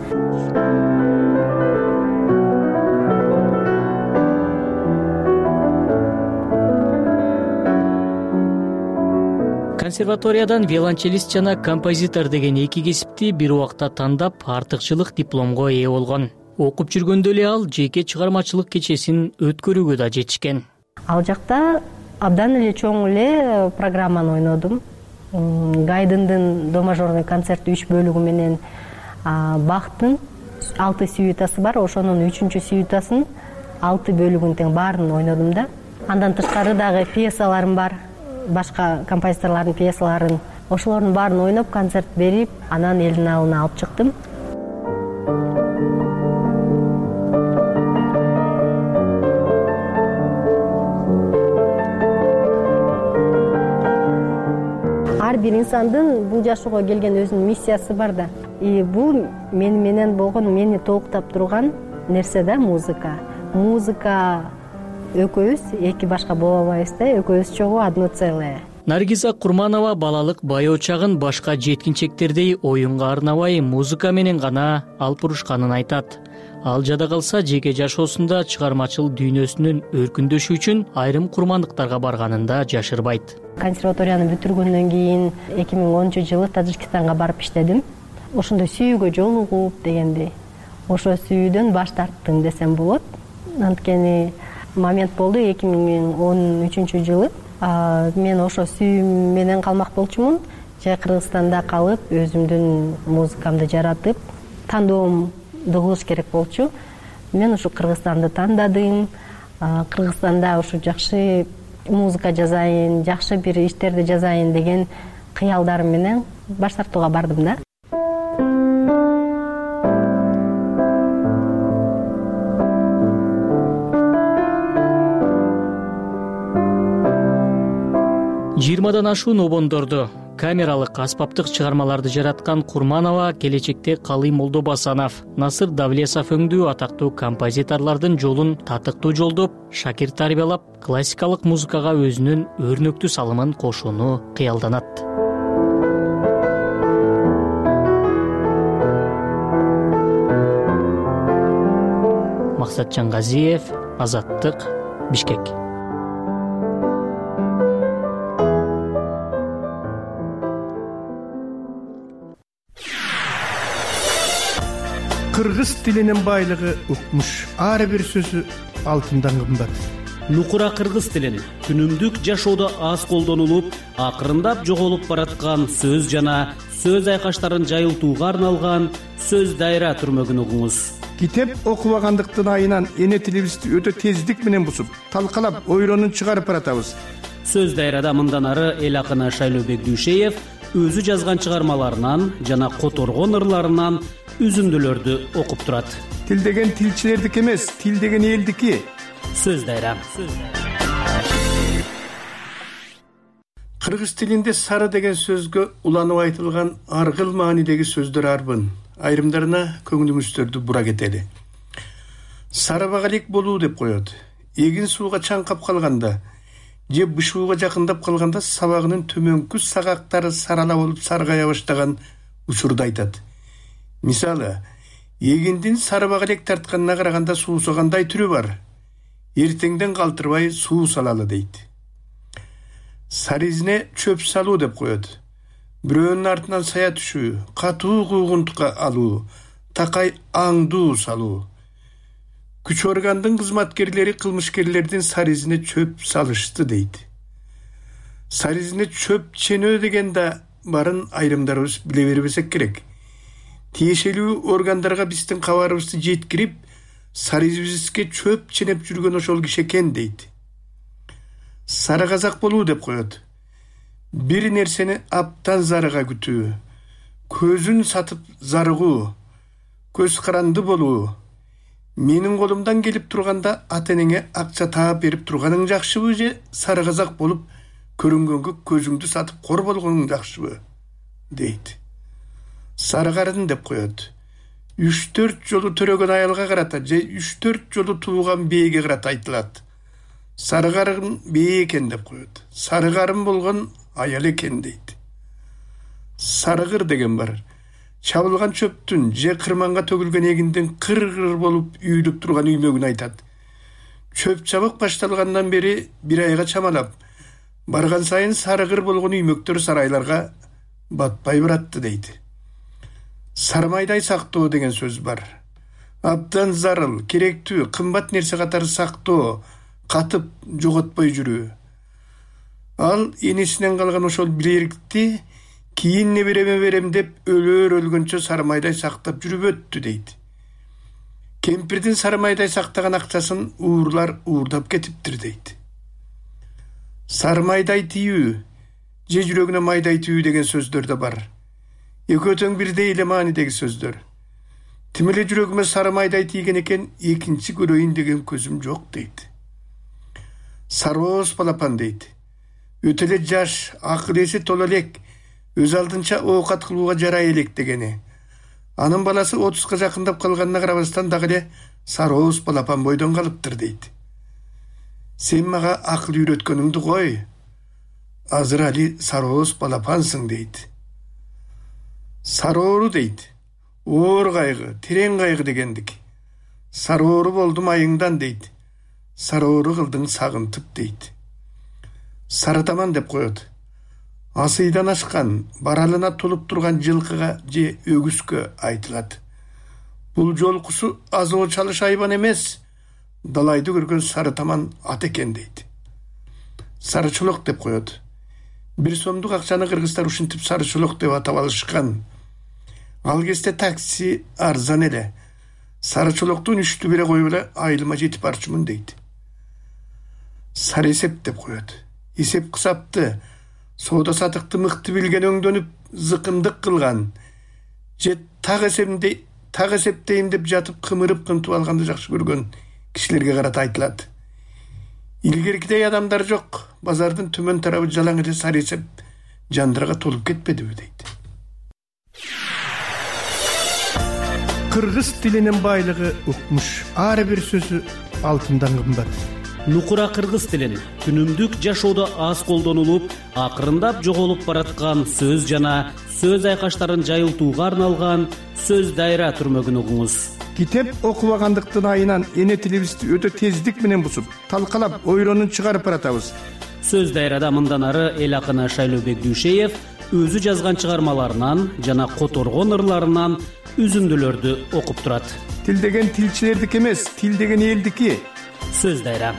Консерваториядан виолончелист жана композитор деген эки кесипти бир убакта тандап, артыкчылык дипломго ээ болгон. Окуп жүргөндө эле ал жеке чыгармачылык кечесин өткөрүүгө да жетишкен. Ал жакта абдан эле чоң эле программаны ойнодум. Гайдындын до мажорный концерт 3 бөлүгү менен Бахтын 6 сюитасы бар, ошонун 3-сюитасын 6 бөлүгүн тең баарын ойнодум да. Андан тышкары дагы пьесаларым бар, башка композиторлордун пьесаларын. Ошолордун баарын ойноп, концерт берип, анан элдин алдына алып чыктым. Ар бир инсандын бул жашоого келген өзүнүн миссиясы бар да. Бул менен болгон, мени толуктап турган нерсе да музыка. Музыка экөөбүз эки башка боло албайбыз да, экөөбүз чогуу одно целое. Наргиза Курманова балалык байоо чагын башка жеткинчектердей оюнга арнабай музыка менен гана алып урушканын айтат. Ал жада калса жеке жашоосунда чыгармачыл дүйнөсүнүн өркүндөшү үчүн айрым курмандыктарга барганын да жашырбайт. Консерваторияны бүтүргөндөн кийин 2010-жылы Тажикстанга барып иштедим. Ошондой сүйүүгө жолугуп дегендей. Ошо сүйүүдөн баш тарттым десем болот. Анткени момент болду 2013-жылы. Мен ошо сүйүүм менен калмак болчумун. Же Кыргызстанда калып, өзүмдүн музыкамды жаратып, тандоомду кылыш керек болчу. Мен ушу Кыргызстанды тандадым. Кыргызстанда ушу жакшы музыка жазайын, жакшы бир иштерди жазайын деген кыялдарым менен баш тартууга бардым да. Жыйырмадан ашуун обондорду, камералык аспаптык чыгармаларды жараткан Курманова келечекте Калый Молдобасанов, Насыр Давлесов өңдүү атактуу композиторлордун жолун татыктуу жолдоп, шакирт тарбиялап, классикалык музыкага өзүнүн өрнөктүү салымын кошууну кыялданат. Максат Жангазиев, Азаттык, Бишкек. Кыргыз тилинин байлыгы укмуш. Ар бир сөзү алтындан кымбат. Нукура кыргыз тилин күнүмдүк жашоодо аз колдонулуп, акырындап жоголуп бараткан сөз жана сөз айкаштарын жайылтууга арналган сөз дайра түрмөгүн угуңуз. Китеп окубагандыктын айынан эне тилибизди өтө тездик менен бусуп, талкалап, ойронун чыгарып баратабыз. Сөз дайрада мындан ары эл акыны Шайлообек Дүйшеев өзү жазган чыгармаларынан жана которгон ырларынан үзүндүлөрдү окуп турат. Тил деген тилчилердики эмес, тил деген элдики. Сөз дайра. Кыргыз тилинде сары деген сөзгө уланып айтылган аргыл маанидеги сөздөр арбын. Айрымдарына көңүлүңүздөрдү бура кетели. Сары багалек болуу деп коет. Эгин сууга чаңкап калганда же бышууга жакындап калганда сабагынын төмөнкү сагактары сарала болуп саргая баштаган учурду айтат. Мисалы, эгиндин сары багалек тартканына караганда суусагандай түрү бар. Эртеңден калтырбай суу салалы дейт. Сары изине чөп салуу деп коет. Бирөөнүн артынан сая түшүү, катуу куугунтукка алуу, такай аңдуу салуу. Күч органдын кызматкерлери кылмышкерлердин сары изине чөп салышты дейт. Сары изине чөп ченөө деген да барын айрымдарыбыз биле бербесек керек. Тиешелүү органдарга биздин кабарыбызды жеткирип, сары изибизге чөп ченеп жүргөн ошол киши экен дейт. Сары казак болуу деп коет. Бир нерсени аптан зарыга күтүү, көзүн сатып зарыгуу, көз каранды болуу. Менин колумдан келип турганда ата-энеңе акча таап берип турганың жакшыбы же сары казак болуп көрүнгөнгө көзүңдү сатып кор болгоның жакшыбы дейт. Сары карын деп коет. 3-4 жолу төрөгөн аялга карата же 3-4 жолу тууган бээге карата айтылат. Сары карын бээ экен деп коет. Сары карын болгон аял экен дейт. Сарыгыр деген бар. Чабылган чөптүн же кырманга төгүлгөн эгиндин кыр-кыр болуп үйүлүп турган үймөгүн айтат. Чөп чабык башталгандан бери бир айга чамалап, барган сайын сарыгыр болгон үймөктөр сарайларга батпай баратты дейт. Сармайдай сактоо деген сөз бар. Абдан зарыл, керектүү, кымбат нерсе катары сактоо, катып жоготпой жүрүү. Ал энесинен калган ошол билерикти кийин небереме берем деп өлөр өлгөнчө сармайдай сактап жүрүп өттү дейт. Кемпирдин сары майдай сактаган акчасын уурлар уурдап кетиптир дейт. Сары майдай тийүү же жүрөгүнө майдай тийүү деген сөздөр да бар. Экөө тең бирдей эле маанидеги сөздөр. Тим эле жүрөгүмө сары майдай тийген экен, экинчи көрөйүн деген көзүм жок дейт. Сарооз балапан дейт. Өтө эле жаш, акыл эси тола элек, өз алдынча оокат кылууга жарай элек дегени. Анын баласы 30га жакындап калганына карабастан дагы эле сарооз балапан бойдон калыптыр дейт. Сен мага акыл үйрөткөнүңдү кой. Азыр али сарооз балапансың дейт. Сароору дейт. Оор кайгы, терең кайгы дегендик. Сароору болдум айыңдан дейт. Сароору кылдың сагынтып дейт. Сарытаман деп коет. Асыйдан ашкан, баралына толуп турган жылкыга же өгүскө айтылат. Бул жолкусу азоо чалыш айбан эмес, далайды көргөн сарытаман ат экен дейт. Сарычолок деп коет. 1 сомдук акчаны кыргыздар ушинтип сарычолок деп атап алышкан. Ал кезде такси арзан эле. Сарычолоктун үчтү бере коюп эле айылыма жетип барчумун дейт. Сары эсеп деп коет. Эсеп кысапты, соода сатыкты мыкты билген өңдөнүп зыкымдык кылган. Же так эсептейм деп жатып кымырып кынтып алганды жакшы көргөн кишилерге карата айтылат. Илгеркидей адамдар жок. Базардын төмөн тарабы жалаң эле сары эсеп жандырга толуп кетпедиби дейт. Кыргыз тилинин байлыгы укмуш. Ар бир сөзү алтындан кымбат. Нукура кыргыз тилин күнүмдүк жашоодо аз колдонулуп, акырындап жоголуп бараткан сөз жана сөз айкаштарын жайылтууга арналган сөз дайра түрмөгүн угуңуз. Китеп окубагандыктын айынан эне тилибизди өтө тездик менен бусуп, талкалап, ойронун чыгарып баратабыз. Сөз дайрада мындан ары эл акыны Шайлообек Дүйшеев өзү жазган чыгармаларынан жана которгон ырларынан үзүндүлөрдү окуп турат. Тил деген тилчилердики эмес, тил деген элдики. Сөз дайра.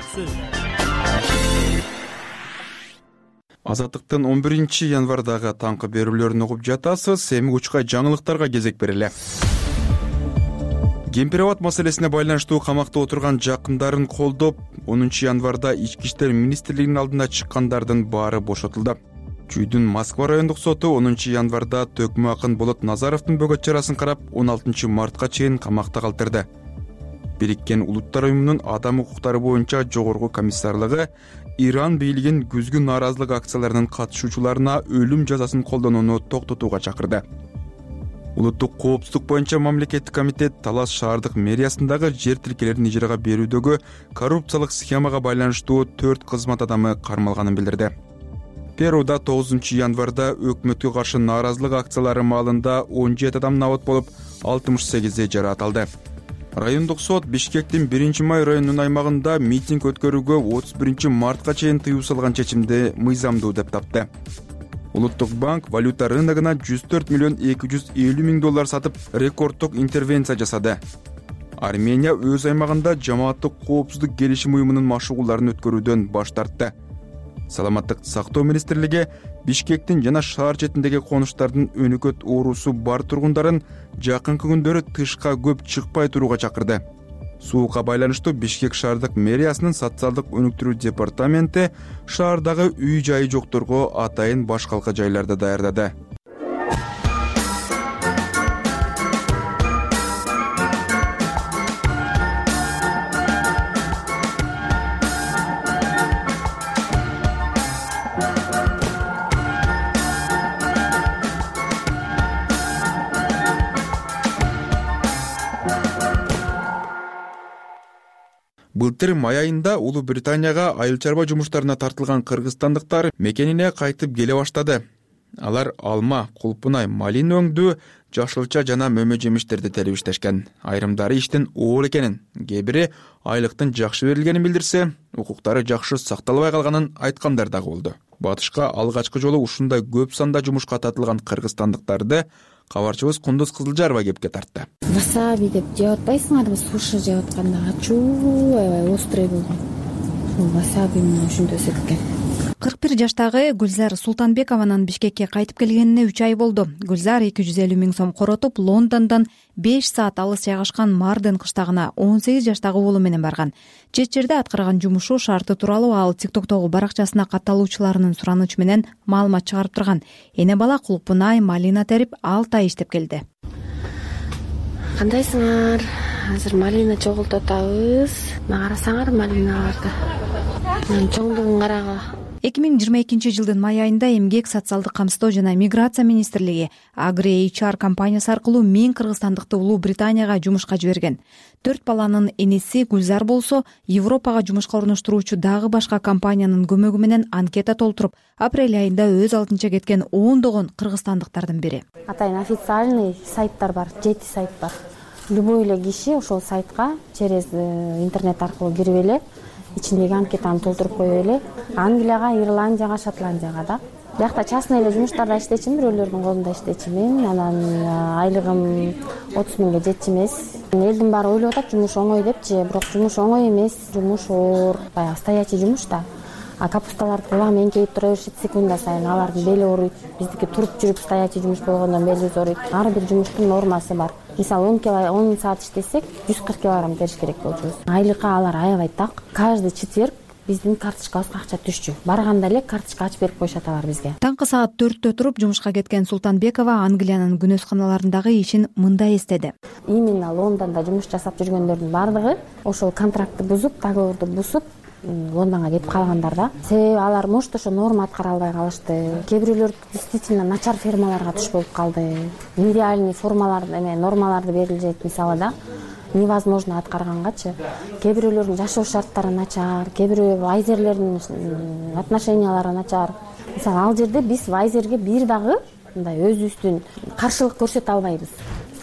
Азаттыктын 11-январдагы таңкы берүүлөрүн угуп жатасыз. Эми учкай жаңылыктарга кезек берели. Кемпирабад маселесине байланыштуу камакта отурган жакындарын колдоп, 10-январда Ички иштер министрлигинин алдына чыккандардын баары бошотулду. Чүйдүн Москва райондук соту 10-январда төкмө акын Болот Назаровдун бөгөт чарасын карап, 16 мартка чейин камакта калтырды. Бириккен Улуттар уюмунун адам укуктары боюнча жогорку комиссарлыгы Иран бийлигин күзгү нааразылык акцияларынын катышуучуларына өлүм жазасын колдонууну токтотууга чакырды. Улуттук коопсуздук боюнча мамлекеттик комитет Талас шаардык мэриясындагы жер тилкелерин ижарага берүүдөгү коррупциялык схемага байланыштуу 4 кызмат адамы кармалганын билдирди. Перуда 9-январда өкмөткө каршы нааразылык акциялары маалында 17 адам набат болуп, 68 жараат алды. Райондук сот Бишкектин 1-май районунун аймагында митинг өткөрүүгө 31 мартка чейин тыюу салган чечимди мыйзамдуу деп тапты. Улуттук банк валюта рыногуна 104 миллион 250 миң доллар сатып, рекорддук интервенция жасады. Армения өз аймагында жамааттык коопсуздук келишим уюмунун машыгууларын өткөрүүдөн баш тартты. Саламаттык сактоо министрлиги Бишкектин жана шаар четиндеги конуштардын өнөкөт оорусу бар тургундарын жакынкы күндөрү тышка көп чыкпай турууга чакырды. Суукка байланыштуу Бишкек шаардык мэриясынын социалдык өнүктүрүү департаменти шаардагы үй-жайы жокторго атайын башкалка жайларды даярдады. Былтыр май айында Улуу Британияга айыл чарба жумуштарына тартылган кыргызстандыктар мекенине кайтып келе баштады. Алар алма, кулпунай, малина өңдүү, жашылча жана мөмө жемиштерди терип иштешкен. Айрымдары иштин оор экенин, кээ бири айлыктын жакшы берилгенин билдирсе, укуктары жакшы сакталбай калганын айткандар дагы болду. Батышка алгачкы жолу ушундай көп санда жумушка тартылган кыргызстандыктарды кабарчыбыз Кундуз Кызылжарова кепке тартты. Васаби деп жеп атпайсыңарбы, суша жеп атканда ачуу, аябай острый болгон. Васаби менен ушинтип экен. 41 жаштагы Гүлзар Султанбекованын Бишкекке кайтып келгенине 3 ай болду. Гүлзар 250 000 сом коротуп, Лондондон 5 саат алыс жайгашкан Марден кыштагына 18 жаштагы уулу менен барган. Чет жерде аткарган жумушу шарты тууралуу ал TikTok'тогу баракчасына катталуучуларынын суранычы менен маалымат чыгарып турган. Эне бала кулпунай, малина терип 6 ай иштеп келди. Кандайсыңар? Азыр малина чогултуп атабыз. Мага карасаңар малиналарды. Чоңдугун карагыла. 2022 жылдын май айында Эмгек, социалдык камсыздоо жана миграция министрлиги Agri HR компаниясы аркылуу 1000 кыргызстандыкты Улуу Британияга жумушка жиберген. 4 баланын энеси Гүлзар болсо, Европага жумушка орноштуруучу дагы башка компаниянын көмөгү менен анкета толтуруп, апрель айында өз алдынча кеткен ондогон кыргызстандыктардын бири. Атайын официальный сайттар бар, 7 сайт бар. Любой эле киши ошол сайтка через интернет аркылуу кирип эле ичиндеги анкетаны толтуруп коюп эле Англияга, Ирландияга, Шотландияга да. Биякта частный эле жумуштарда иштечимин, бирөөлөрдүн колунда иштечимин. Анан айлыгым 30 000ге жетчү эмес. Элдин баары ойлоп атат жумуш оңой депчи, бирок жумуш оңой эмес. Жумуш оор, баягы стоячий жумуш да. Капусталарды кулагы эңкейип тура беришет секунда сайын, алардын бели ооруйт. Биздики туруп жүрүп стоячий жумуш болгондон белибиз ооруйт. Ар бир жумуштун нормасы бар. Мисалы 10 саат иштесек 140 килограмм териш керек болчубуз. Айлыкка алар аябай так. Каждый четверг биздин карточкабызга акча түшчү. Барганда эле карточка ачып берип коюшат алар бизге. Таңкы саат 4-тө туруп жумушка кеткен Султанбекова Англиянын күнөсканаларындагы ишин мындай эстеди. Именно Лондондо жумуш жасап жүргөндөрдүн бардыгы ошол контрактты бузуп, договорду бузуп Лондонго кетип калгандар да. Себеби алар может ошо норма аткара албай калышты. Кээ бирөөлөр действительно начар фермаларга туш болуп калды. Нереальный формаларды, нормаларды берилет мисалы да. Невозможно аткаргангачы. Кээ бирөөлөрдүн жашоо шарттары начар, кээ бирөө вайзерлердин отношениялары начар. Мисалы ал жерде биз вайзерге бир дагы мындай өзүбүздүн каршылык көрсөтө албайбыз.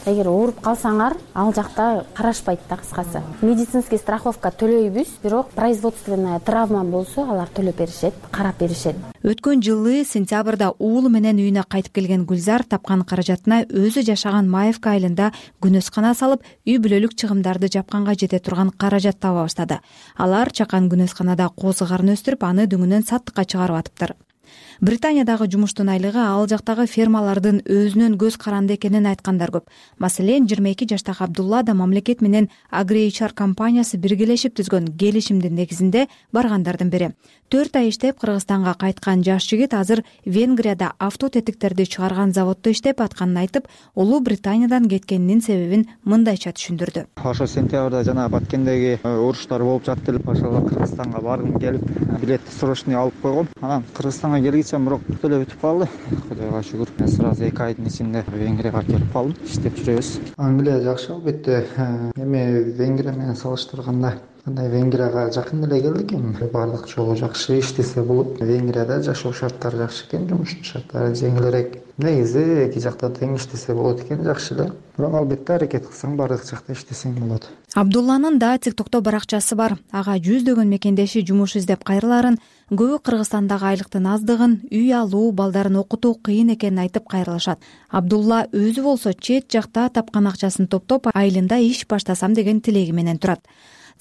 Эгер ооруп калсаңар, ал жакта карашпайт да кыскасы. Медицинский страховка төлөйбүз, бирок производственная травма болсо алар төлөп беришет, карап беришет. Өткөн жылы сентябрда уулу менен үйүнө кайтып келген Гүлзар тапкан каражатына өзү жашаган Маевка айылында күнөскана салып, үй бүлөлүк чыгымдарды жапканга жете турган каражат таба баштады. Алар чакан күнөсканада козу карын өстүрүп, аны дөңүнөн саттыкка чыгарып атыптыр. Британиядагы жумуштун айлыгы ал жактагы фермалардын өзүнөн көз каранды экенин айткандар көп. Маселен, 22 жаштагы Абдулла да мамлекет менен Agri HR компаниясы биргелешип түзгөн келишимдин негизинде баргандардын бири. 4 ай иштеп Кыргызстанга кайткан жаш жигит азыр Венгрияда авто тетиктерди чыгарган заводдо иштеп атканын айтып, Улуу Британиядан кеткенинин себебин мындайча түшүндүрдү. Ошо сентябрда жана Баткендеги уруштар болуп жатты эле, ошол Кыргызстанга баргым келип, билетти срочный алып койгом. Анан Кыргызстанга келгиче бирок төлөп өтүп калды. Кудайга шүгүр. Сразу 2 айдын ичинде Венгрияга келип калдым. Иштеп жүрөбүз. Англия жакшы албетте. Эми Венгрия менен салыштырганда андай Венгрияга жакын эле келдик эми. Бардык жолу жакшы иштесе болот. Венгрияда жашоо шарттары жакшы экен, жумуштун шарттары жеңилирээк. Негизи эки жакта тең иштесе болот экен, жакшы эле. Бирок албетте аракет кылсаң бардык жакта иштесең болот. Абдулланын да TikTok'то баракчасы бар. Ага жүздөгөн мекендеши жумуш издеп кайрыларын, көбү Кыргызстандагы айлыктын аздыгын, үй алуу, балдарын окутуу кыйын экенин айтып кайрылышат. Абдулла өзү болсо чет жакта тапкан акчасын топтоп, айылында иш баштасам деген тилеги менен турат.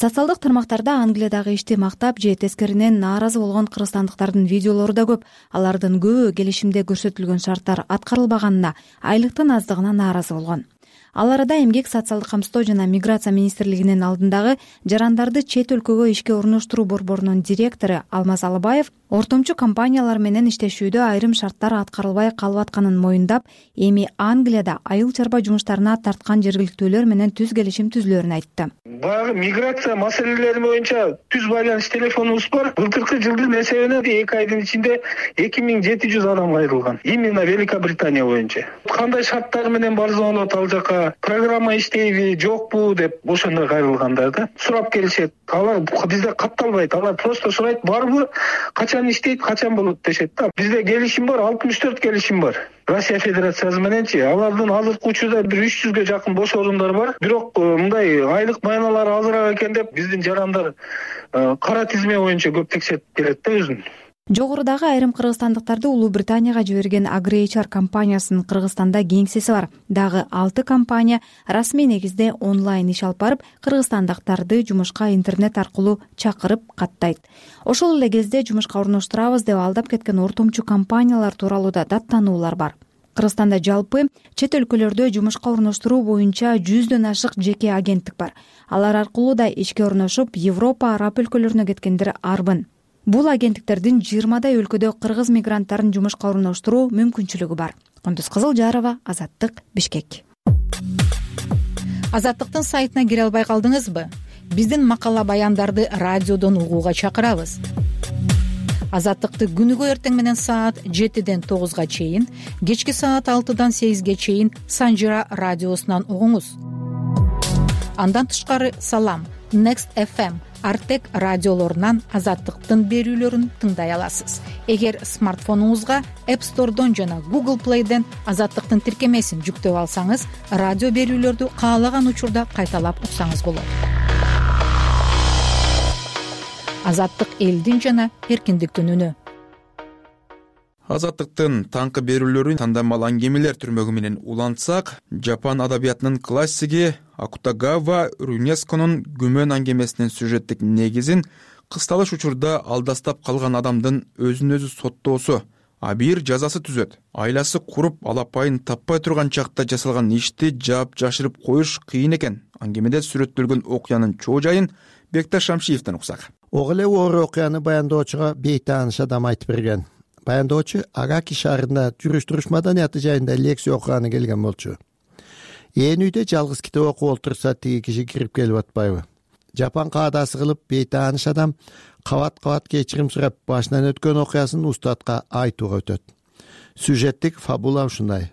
Социалдык тармактарда Англиядагы ишти мактап же тескеринен нааразы болгон кыргызстандыктардын видеолору да көп. Алардын көбү келишимде көрсөтүлгөн шарттар аткарылбаганына, айлыктын аздыгына нааразы болгон. Ал арада Эмгек, социалдык камсыздоо жана миграция министрлигинин алдындагы жарандарды чет өлкөгө ишке орноштуруу борборунун директору Алмаз Алыбаев ортомчу компаниялар менен иштешүүдө айрым шарттар аткарылбай калып атканын моюндап, эми Англияда айыл чарба жумуштарына тарткан жергиликтүүлөр менен түз келишим түзүлөрүн айтты. Баягы миграция маселелери боюнча түз байланыш телефонубуз бар. Былтыркы жылдын эсебинен 2 айдын ичинде 2700 адам кайрылган. Именно Великобритания боюнча. Кандай шарттар менен барсаң болот ал жака, программа иштейби, жокпу деп ошондой кайрылгандар да. Сурап келишет. Алар бизде катталбайт. Алар просто сурайт, барбы, качан иштейт, качан болот дешет да. Бизде келишим бар, 64 келишим бар. Россия Федерациясы мененчи. Алардын азыркы учурда 300ге жакын бош орундар бар. Бирок мындай айлык майналары азыраак экен деп биздин жарандар кара тизме боюнча көп текшерип келет да өзүн. Жогорудагы айрым кыргызстандыктарды Улуу Британияга жиберген AgriHR компаниясынын Кыргызстанда кеңсеси бар. Дагы 6 компания расмий негизде онлайн иш алып барып, кыргызстандыктарды жумушка интернет аркылуу чакырып каттайт. Ошол эле кезде жумушка орноштурабыз деп алдап кеткен ортомчу компаниялар тууралуу да даттануулар бар. Кыргызстанда жалпы чет өлкөлөрдө жумушка орноштуруу боюнча 100дөн ашык жеке агенттик бар. Алар аркылуу да ишке орношуп, Европа, Араб өлкөлөрүнө кеткендер арбын. Бул агенттиктердин 20дай өлкөдө кыргыз мигранттарын жумушка орноштуруу мүмкүнчүлүгү бар. Кундуз Кызылжарова, Азаттык, Бишкек. Азаттыктын сайтына кире албай калдыңызбы? Биздин макала баяндарды радиодон угууга чакырабыз. Азаттыкты күнүгө эртең менен саат 7ден 9га чейин, кечки саат 6дан 8ге чейин Санжира радиосунан угуңуз. Андан тышкары Салам, Next FM, Артек радиолорунан Азаттыктын берүүлөрүн тыңдай аласыз. Эгер смартфонуңузга App Store'дон жана Google Play'ден Азаттыктын тиркемесин жүктөп алсаңыз, радио берүүлөрдү каалаган учурда кайталап уксаңыз болот. Азаттык элдин жана эркиндиктин үнү. Азаттыктын таңкы берүүлөрүн тандамал аңгемелер түрмөгү менен улантсак, Жапан адабиятынын классиги Акутагава Рунесконун Күмөн аңгемесинин сюжеттик негизин кысталыш учурда алдастап калган адамдын өзүн өзү соттоосу, абийир жазасы түзөт. Айласы куруп, алапайын таппай турган чакта жасалган ишти жаап жашырып коюш кыйын экен. Аңгемеде сүрөттөлгөн окуянын чоо жайын Бекташ Шамшиевден уксак. Ого эле оор окуяны баяндоочуга бейтааныш адам айтып берген. Баяндоочу Агаки шаарында жүрүш-туруш маданияты жайында лекция окуганы келген болчу. Ээн үйдө жалгыз китеп окуп олтурса, тиги киши кирип келип атпайбы? Жапан каадасы кылып бейтааныш адам кабат-кабат кечирим сурап башынан өткөн окуясын устатка айтууга өтөт. Сюжеттик фабула ушундай.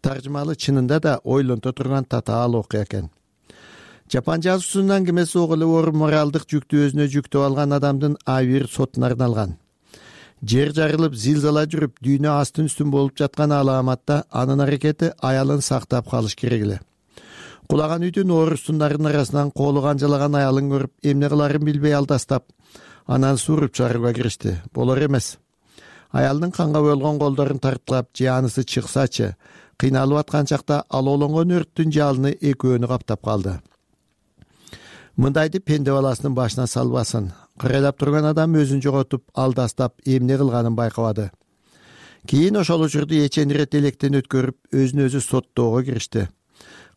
Таржымалы чынында да ойлонто турган татаал окуя экен. Жапан жазуусунун аңгемеси ого эле оор моралдык жүктү өзүнө жүктөп алган адамдын абийир сотуна арналган. Жер жарылып, зилзала жүрүп, дүйнө астын-үстүн болуп жаткан алааматта анын аракети аялын сактап калыш керек эле. Кулаган үйдүн оорустундарынын арасынан колу канжалаган аялын көрүп, эмне кыларын билбей алдастап, анан сууруп чыгарууга киришти. Болор эмес. Аялдын канга боелгон колдорун тарткылап, жаанысы чыксачы, кыйналып аткан чакта алоолонгон өрттүн жалыны экөөнү каптап калды. Мындайды пенде баласынын башына салбасын. Кырайлап турган адам өзүн жоготуп, алдастап, эмне кылганын байкабады. Кийин ошол учурду эчен ирет электен өткөрүп, өзүн өзү соттоого киришти.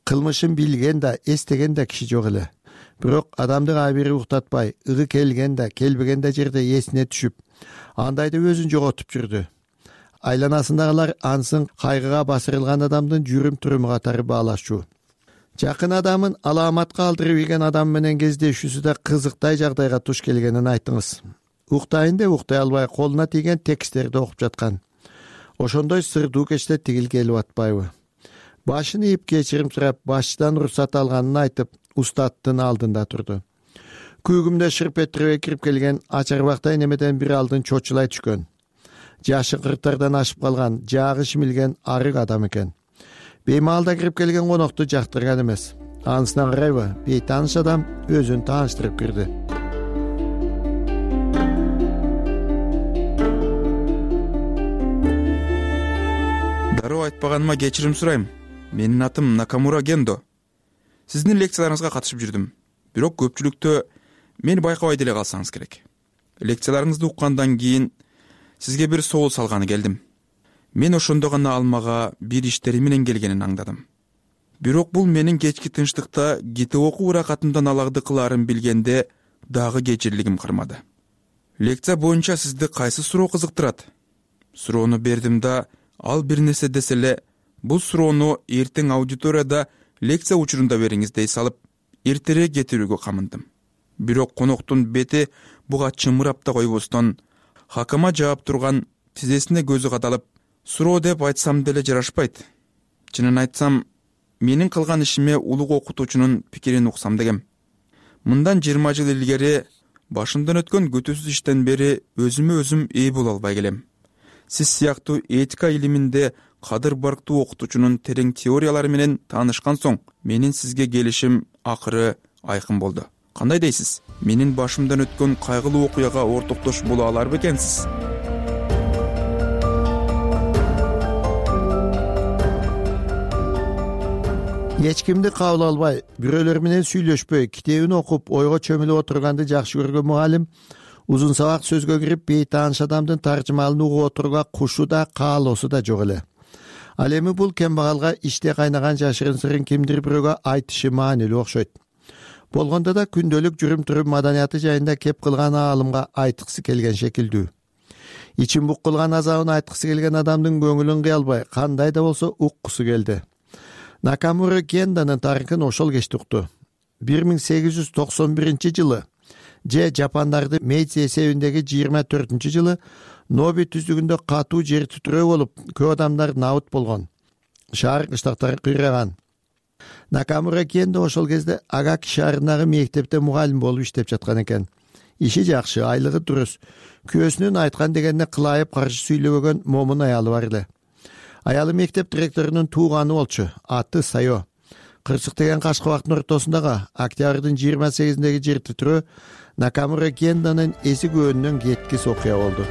Кылмышын билген да, эстеген да киши жок эле. Бирок адамды абийири уктатпай, ыгы келген да, келбеген да жерде эсине түшүп, андайды өзүн жоготуп жүрдү. Айланасындагылар ансын кайгыга басырылган адамдын жүрүм-туруму катары баалашчу. Жакын адамын алааматка алдырып ийген адам менен кездешүүсү да кызыктай жагдайга туш келгенин айтыңыз. Уктайын деп уктай албай колуна тийген тексттерди окуп жаткан. Ошондой сырдуу кечте тигил келип атпайбы? Башын ийип кечирим сурап, башчыдан уруксат алганын айтып, устаттын алдында турду. Күүгүмдө шырп этирип кирип келген ачарбактай немеден бир алдын чочулай түшкөн. Жашы 40-тардан ашып калган, жаагы шимилген арык адам экен. Беймалда кирип келген конокту жактырган эмес. Анысынан карайбы, бейтааныш адам өзүн тааныштырып кирди. Дароо айтпаганыма кечирим сурайм. Менин атым Накамура Гендо. Сиздин лекцияларыңызга катышып жүрдүм. Бирок көпчүлүктө мени байкабай деле калсаңыз керек. Лекцияларыңызды уккандан кийин сизге бир соол салганы келдим. Мен ошондо гана алмага бир иштери менен келгенин аңдадым. Бирок бул менин кечки тынчтыкта китеп окуу ыракатымдан аларды кылаарын билгенде дагы кечирлигим кармады. Лекция боюнча сизди кайсы суроо кызыктырат? Суроону бердим да, ал бир нерсе десе эле, бул суроону эртең аудиторияда лекция учурунда бериңиз дей салып, эртерээк кетирүүгө камындым. Бирок коноктун бети буга чымырап да койбостон, хакама жаап турган тизесине көзү кадалып, суроо деп айтсам деле жарашпайт. Чынын айтсам, менин кылган ишиме улуг окутуучунун пикирин уксам дегем. Мындан 20 жыл илгери башымдан өткөн күтүүсүз иштен бери өзүмө өзүм ээ боло албай келем. Сиз сыяктуу этика илиминде кадыр барктуу окутуучунун терең теориялары менен таанышкан соң, менин сизге келишим акыры айкын болду. кандай дейсиз? Менин башымдан өткөн кайгылуу окуяга ортоктош боло алар бекенсиз? Эч кимди кабыл албай, бирөөлөр менен сүйлөшпөй, китебин окуп, ойго чөмүлүп отурганды жакшы көргөн мугалим узун сабак сөзгө кирип, бейтааныш адамдын таржымалын угуп отурууга кушу да, каалоосу да жок эле. Ал эми бул кембагалга иште кайнаган жашырын сырын кимдир бирөөгө айтышы маанилүү окшойт. Болгондо да күндөлүк жүрүм-турум маданияты жайында кеп кылган аалымга айткысы келген шекилдүү. Ичин бук кылган азабын айткысы келген адамдын көңүлүн кыя албай, кандай да болсо уккусу келди. Накамура Кенданын тарыхын ошол кечти укту. 1891-жылы же Жапондарды Мейдзи эсебиндеги 24-жылы Ноби түздүгүндө катуу жер титирөө болуп, көп адамдар набыт болгон. Шаар кыштактар кыйраган. Накамура Кенда ошол кезде Агаки шаарындагы мектепте мугалим болуп иштеп жаткан экен. Иши жакшы, айлыгы дурус. Күйөөсүнүн айткан дегенине кылайып каршы сүйлөбөгөн момун аялы бар эле. Аялы мектеп директорунун тууганы болчу, аты Сайо. Кырсык деген кашкы убактын ортосундагы октябрдын 28-деги жер титирөө Накамура Кенданын эси көөнүнөн кеткис окуя болду.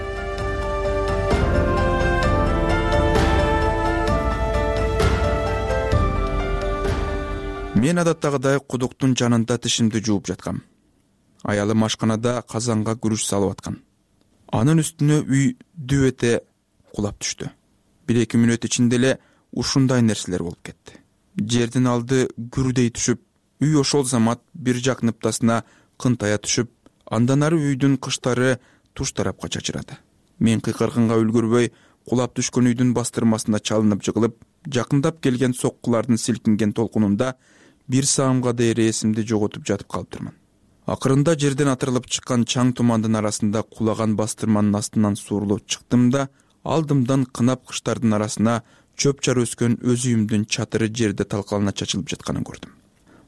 Мен адаттагыдай кудуктун жанында тишимди жууп жаткам. Аялым ашканада казанга күрүч салып аткан. Анын үстүнө үй дүп эте кулап түштү. 1-2 мүнөт ичинде эле ушундай нерселер болуп кетти. Жердин алды гүрдей түшүп, үй ошол замат бир жак ныптасына кынтая түшүп, андан ары үйдүн кыштары туш тарапка чачырады. Мен кыйкырганга үлгүрбөй, кулап түшкөн үйдүн бастырмасына чалынып жыгылып, жакындап келген соккулардын силкинген толкунунда 1 саамга дейер эсимди жоготуп жатып калыптырмын. Акырында жерден атырылып чыккан чаң тумандын арасында кулаган бастырманын астынан суурулуп чыктым да, алдымдан кынап кыштардын арасына чөп-чар өскөн өз үйүмдүн чатыры жерде талкалана чачылып жатканын көрдүм.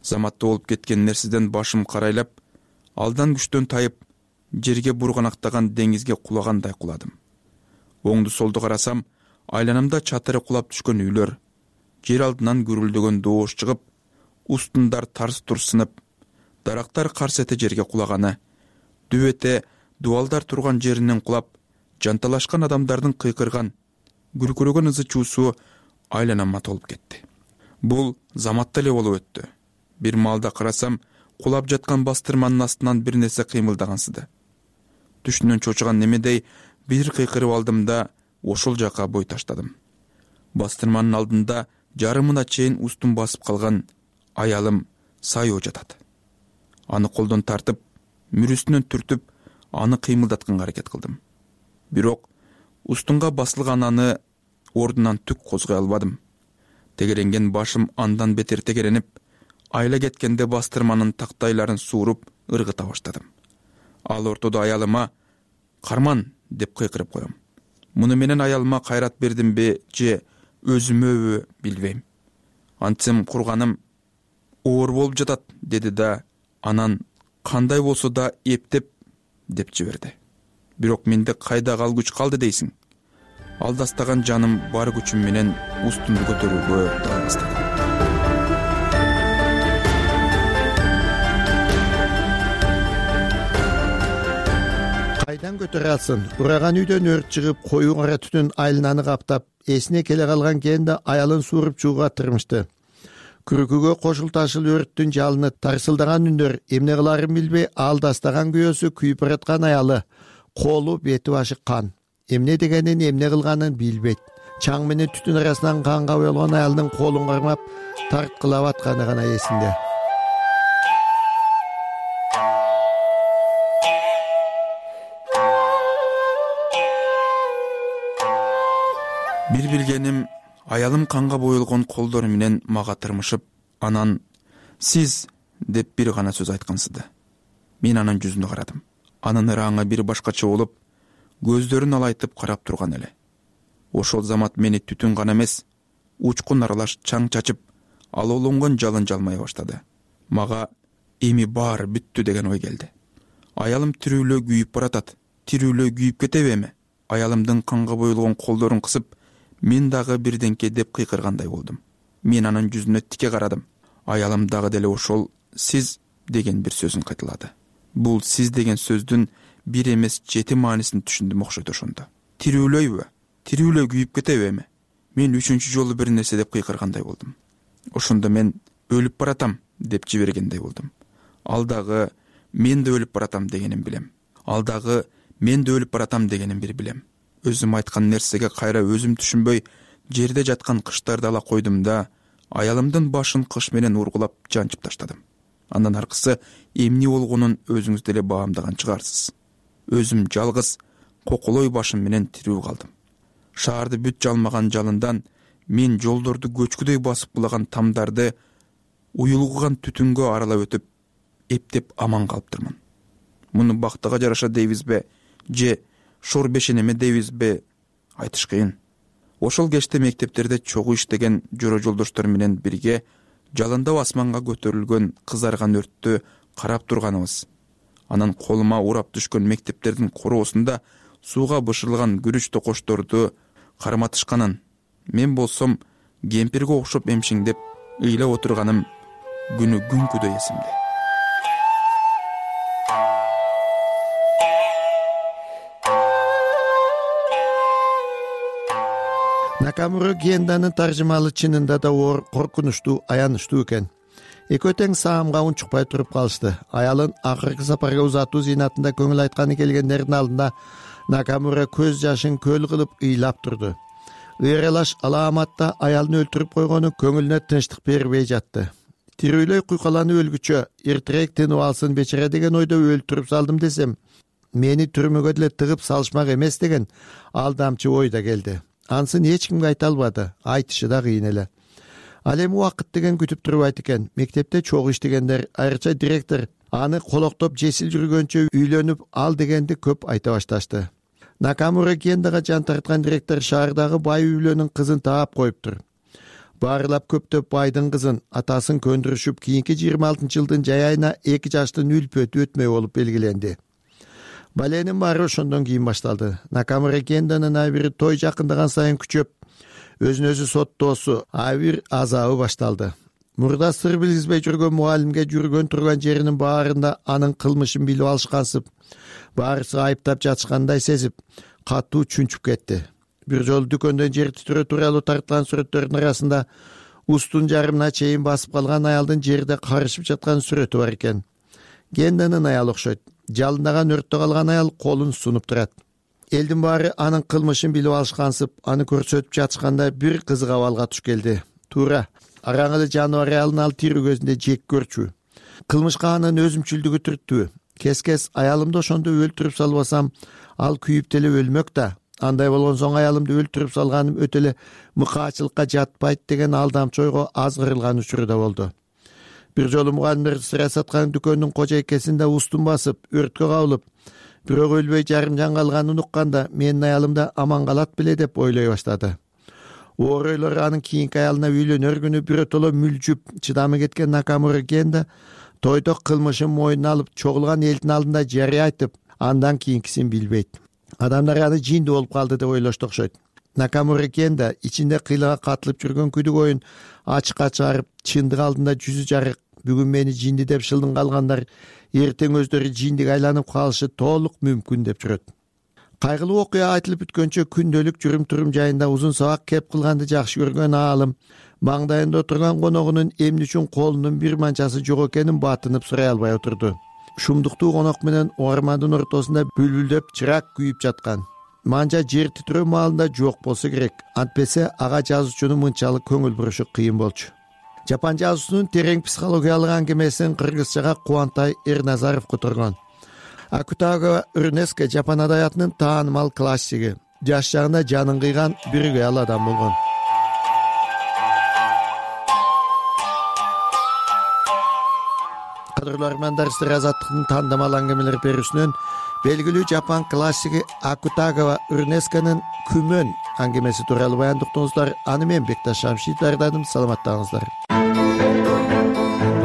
Заматта болуп кеткен нерседен башым карайлап, алдан күчтөн тайып, жерге бурганактаган деңизге кулагандай куладым. Оңду солду карасам, айланамда чатыры кулап түшкөн үйлөр, жер алдынан гүрүлдөгөн доош чыгып, устундар тарс-турс сынып, дарактар карс эте жерге кулаганы, дүп эте дубалдар турган жеринен кулап, жанталашкан адамдардын кыйкырган, күркүрөгөн ызы чуусу айланама толуп кетти. Бул заматта эле болуп өттү. Бир маалда карасам, кулап жаткан бастырманын астынан бир нерсе кыймылдагансыды. Түшүнөн чочуган немедей бир кыйкырып алдым да ошол жака бой таштадым. Бастырманын алдында жарымына чейин устун басып калган аялым Сайо жатат. Аны колдон тартып, мүрүсүнөн түртүп, аны кыймылдатканга аракет кылдым. Бирок устунга басылган аны ордунан түк козгой албадым. Тегеренген башым андан бетер тегеренип, айла кеткенде бастырманын тактайларын сууруп, ыргыта баштадым. Ал ортодо аялыма «Карман» деп кыйкырып коем. Муну менен аялыма кайрат бердимби же өзүмөбү билбейм. Антсем курганым оор болуп жатат деди да, анан кандай болсо да эптеп деп жиберди. Бирок менде кайдагы ал күч калды дейсиң? Алдастаган жаным бар күчүм менен устумду көтөрүүгө дала баштадым. Кайдан көтөрө алсын? Ураган үйдөн өрт чыгып, коюу кара түтүн айлананы каптап, эсине келе калган Кенда аялын сууруп чууга тырмышты. Күрүкүгө кошул ташыл өрттүн жалыны тарсылдаган үндөр эмне кыларын билбей, алдастаган күйөөсү күйүп бараткан аялы, колу бети башы кан. Эмне дегенин, эмне кылганын билбейт. Чаң менен түтүн арасынан канга боелгон аялдын колун кармап, тарткылап атканы гана эсинде. Бир билгеним, аялым канга боелгон колдору менен мага тырмышып, анан «Сиз» деп бир гана сөз айткансыды. Мен анын жүзүнө карадым. Анын ыраңы бир башкача болуп, көздөрүн алайтып карап турган эле. Ошол замат мени түтүн гана эмес, учкун аралаш чаң чачып, алоолонгон жалын жалмай баштады. Мага эми баары бүттү деген ой келди. Аялым тирүүлөө күйүп баратат, тирүүлөө күйүп кетеби эми? Аялымдын канга боелгон колдорун кысып, мен дагы бирденке деп кыйкыргандай болдум. Мен анын жүзүнө тике карадым. Аялым дагы деле ошол «Сиз» деген бир сөзүн кайталады. Бул сиз деген сөздүн бир эмес 7 маанисин түшүндүм окшойт ошондо. Тирүүлөйбү? Тирүүлөй күйүп кетеби эми? Мен 3-чү жолу бир нерсе деп кыйкыргандай болдум. Ошондо мен өлүп баратам деп жибергендей болдум. Ал дагы мен да өлүп баратам дегенин билем. Ал дагы мен да өлүп баратам дегенин бир билем. Өзүм айткан нерсеге кайра өзүм түшүнбөй жерде жаткан кыштарды ала койдум да аялымдын башын кыш менен ургулап жанчып таштадым. Андан аркысы эмне болгонун өзүңүз деле баамдаган чыгарсыз. Өзүм жалгыз коколой башым менен тирүү калдым. Шаарды бүт жалмаган жалындан мен жолдорду көчкүдөй басып кулаган тамдарды уюлгуган түтүнгө аралап өтүп, эптеп аман калыптырмын. Муну бактыга жараша дейбизби, же шор бешенеме дейбизби, айтыш кыйын. Ошол кечте мектептерде чогуу иштеген жора жолдоштор менен бирге жалындап асманга көтөрүлгөн кызарган өрттү карап турганыбыз. Анан колума урап түшкөн мектептердин короосунда сууга бышырылган күрүч токошторду карматышканын, мен болсом кемпирге окшоп эмшиңдеп ыйлап отурганым күнү күнкүдөй эсимде. Накамура Генданын таржымалы чынында да оор, коркунучтуу, аянычтуу экен. Экөө тең саамга унчукпай туруп калышты. Аялын акыркы сапарга узатуу зыйнатында көңүл айтканы келгендердин алдында Накамура көз жашын көл кылып ыйлап турду. Ыйралаш алааматта аялын өлтүрүп койгону көңүлүнө тынчтык бербей жатты. Тирүүлөй куйкаланып өлгүчө эртерээк тынып алсын бечара деген ойдо өлтүрүп салдым десем, мени түрмөгө деле тыгып салышмак эмес деген алдамчы ой да келди. Ансын эч кимге айта албады, айтышы да кыйын эле. Ал эми убакыт деген күтүп турбайт экен. Мектепте чогуу иштегендер, айрыкча директор аны колоктоп жесил жүргөнчө үйлөнүп ал дегенди көп айта башташты. Накамура Гендага жан тарткан директор шаардагы бай үйлөнүн кызын таап коюптур. Баарылап көптөп байдын кызын, атасын көндүрүшүп, кийинки 26-жылдын жай айына 2 жаштын үлпөтү өтмөй болуп белгиленди. Баленин баары ошондон кийин башталды. Накамура Генданын абири той жакындаган сайын күчөп, өзүн өзү соттоосу, абир азабы башталды. Мурда сыр билгизбей жүргөн мугалимге жүргөн турган жеринин баарында анын кылмышын билип алышкансып, баарысы айыптап жатышкандай сезип, катуу чүнчүп кетти. Бир жолу дүкөндөн жер титирөө тууралуу тартылган сүрөттөрдүн арасында устун жарымына чейин басып калган аялдын жерде карышып жаткан сүрөтү бар экен. Генданын аялы окшойт. Жалындаган өрттө калган аял колун сунуп турат. Элдин баары анын кылмышын билип алышкансып, аны көрсөтүп жатышканда бир кызык абалга туш келди. Туура, араңылы жаныбар аялын ал тирүү көзүндө жек көрчү. Кылмышка анын өзүмчүлдүгү түрттү. Кескес аялымды ошондо өлтүрүп салбасам, ал күйүп деле өлмөк да. Андай болгон соң аялымды өлтүрүп салганым өтө эле мыкаачылыкка жатпайт деген алдамчы ойго аз кырылган учуру да болду. Бир жолу мугалимдер сыра саткан дүкөндүн кожойкесинде устун басып, өрткө кабылып, бирок өлбөй жарым жан калганын укканда, менин аялым да аман калат беле деп ойлой баштады. Оор ойлор анын кийинки аялына үйлөнөр күнү биротоло мүлжүп, чыдамы кеткен Накамура Генда тойдо кылмышын мойнуна алып, чогулган элдин алдында жарыя айтып, андан кийинкисин билбейт. Адамдар аны жиндүү болуп калды деп ойлошту окшойт. Накамура Генда ичинде кыйлага катылып жүргөн күдүк оюн ачыкка чыгарып, чындык алдында жүзү жарык, бүгүн мени жинди деп шылдың калгандар эртең өздөрү жиндик айланып калышы толук мүмкүн деп жүрөт. Кайгылуу окуя айтылып бүткөнчө күндөлүк жүрүм-турум жайында узун сабак кеп кылганды жакшы көргөн аалым маңдайында отурган коногунун эмне үчүн колунун бир манчасы жок экенин батынып сурай албай отурду. Шумдуктуу конок менен ормандын ортосунда бүлбүлдөп чырак күйүп жаткан. Манча жер титирөө маалында жок болсо керек. Антпесе ага жазуучунун мынчалык көңүл бурушу кыйын болчу. Жапан жазуусунун терең психологиялык аңгемесин кыргызчага Кубантай Эрназаров которгон. Акутагава Урнеска жапан адабиятынын таанымал классиги. Жаш чагында жанын кыйган бир кыял адам болгон. Кадырлуу армандар, сыр азаттыктын тандамал аңгемелер берүүсүнөн белгилүү жапан классиги Акутагава Урнесканын Күмөн аңгемеси тууралуу баяндыктыңыздар. Аны мен Бекташ Шамшитов даярдадым. Саламаттаңыздар.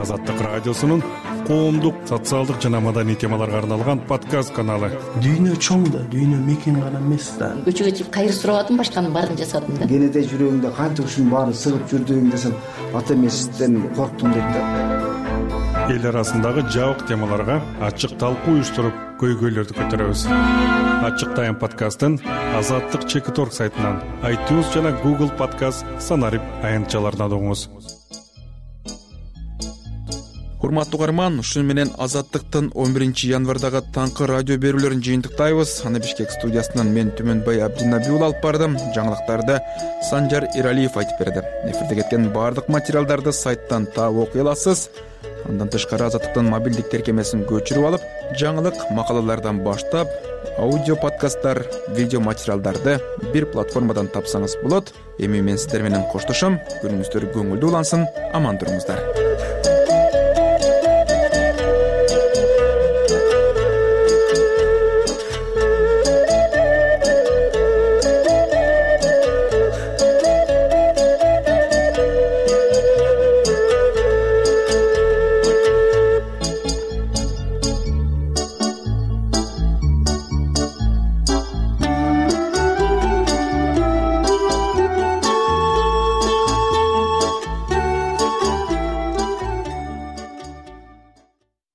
Азаттык радиосунун коомдук, социалдык жана маданий темаларга арналган подкаст каналы. Дүйнө чоң да, дүйнө мекен гана эмес да. Көчөгө чыгып кайыр сурабадым, башканын баарын жасадым да. Кенете жүрөгүңдө канча ушунун баарын сыгып жүрдүң десем, ата эмесизден корктум дейт да. эл арасындагы жабык темаларга ачык талкуу уюштуруп көйгөйлөрдү көтөрөбүз. Ачык тайм подкастын Азаттык Чекит.org сайтынан, iTunes жана Google Podcast санарип аянтчаларынан угуңуз. Урматтуу угарман, ушуну менен Азаттыктын 11 январдагы таңкы радио берүүлөрүн жыйынтыктайбыз. Аны Бишкек студиясынан мен Түмөнбай Абдинабиул алып бардым. Жаңылыктарды Санжар Иралиев айтып берди. Эфирде кеткен баардык материалдарды сайттан таап окуй аласыз. Андан тышкары Азаттыктын мобилдик тиркемесин көчүрүп алып, жаңылык макалалардан баштап, аудио подкасттар, видео материалдарды бир платформадан тапсаңыз болот. Эми мен сиздер менен коштошом. Күнүңүздөр көңүлдүү улансын. Аман туруңуздар.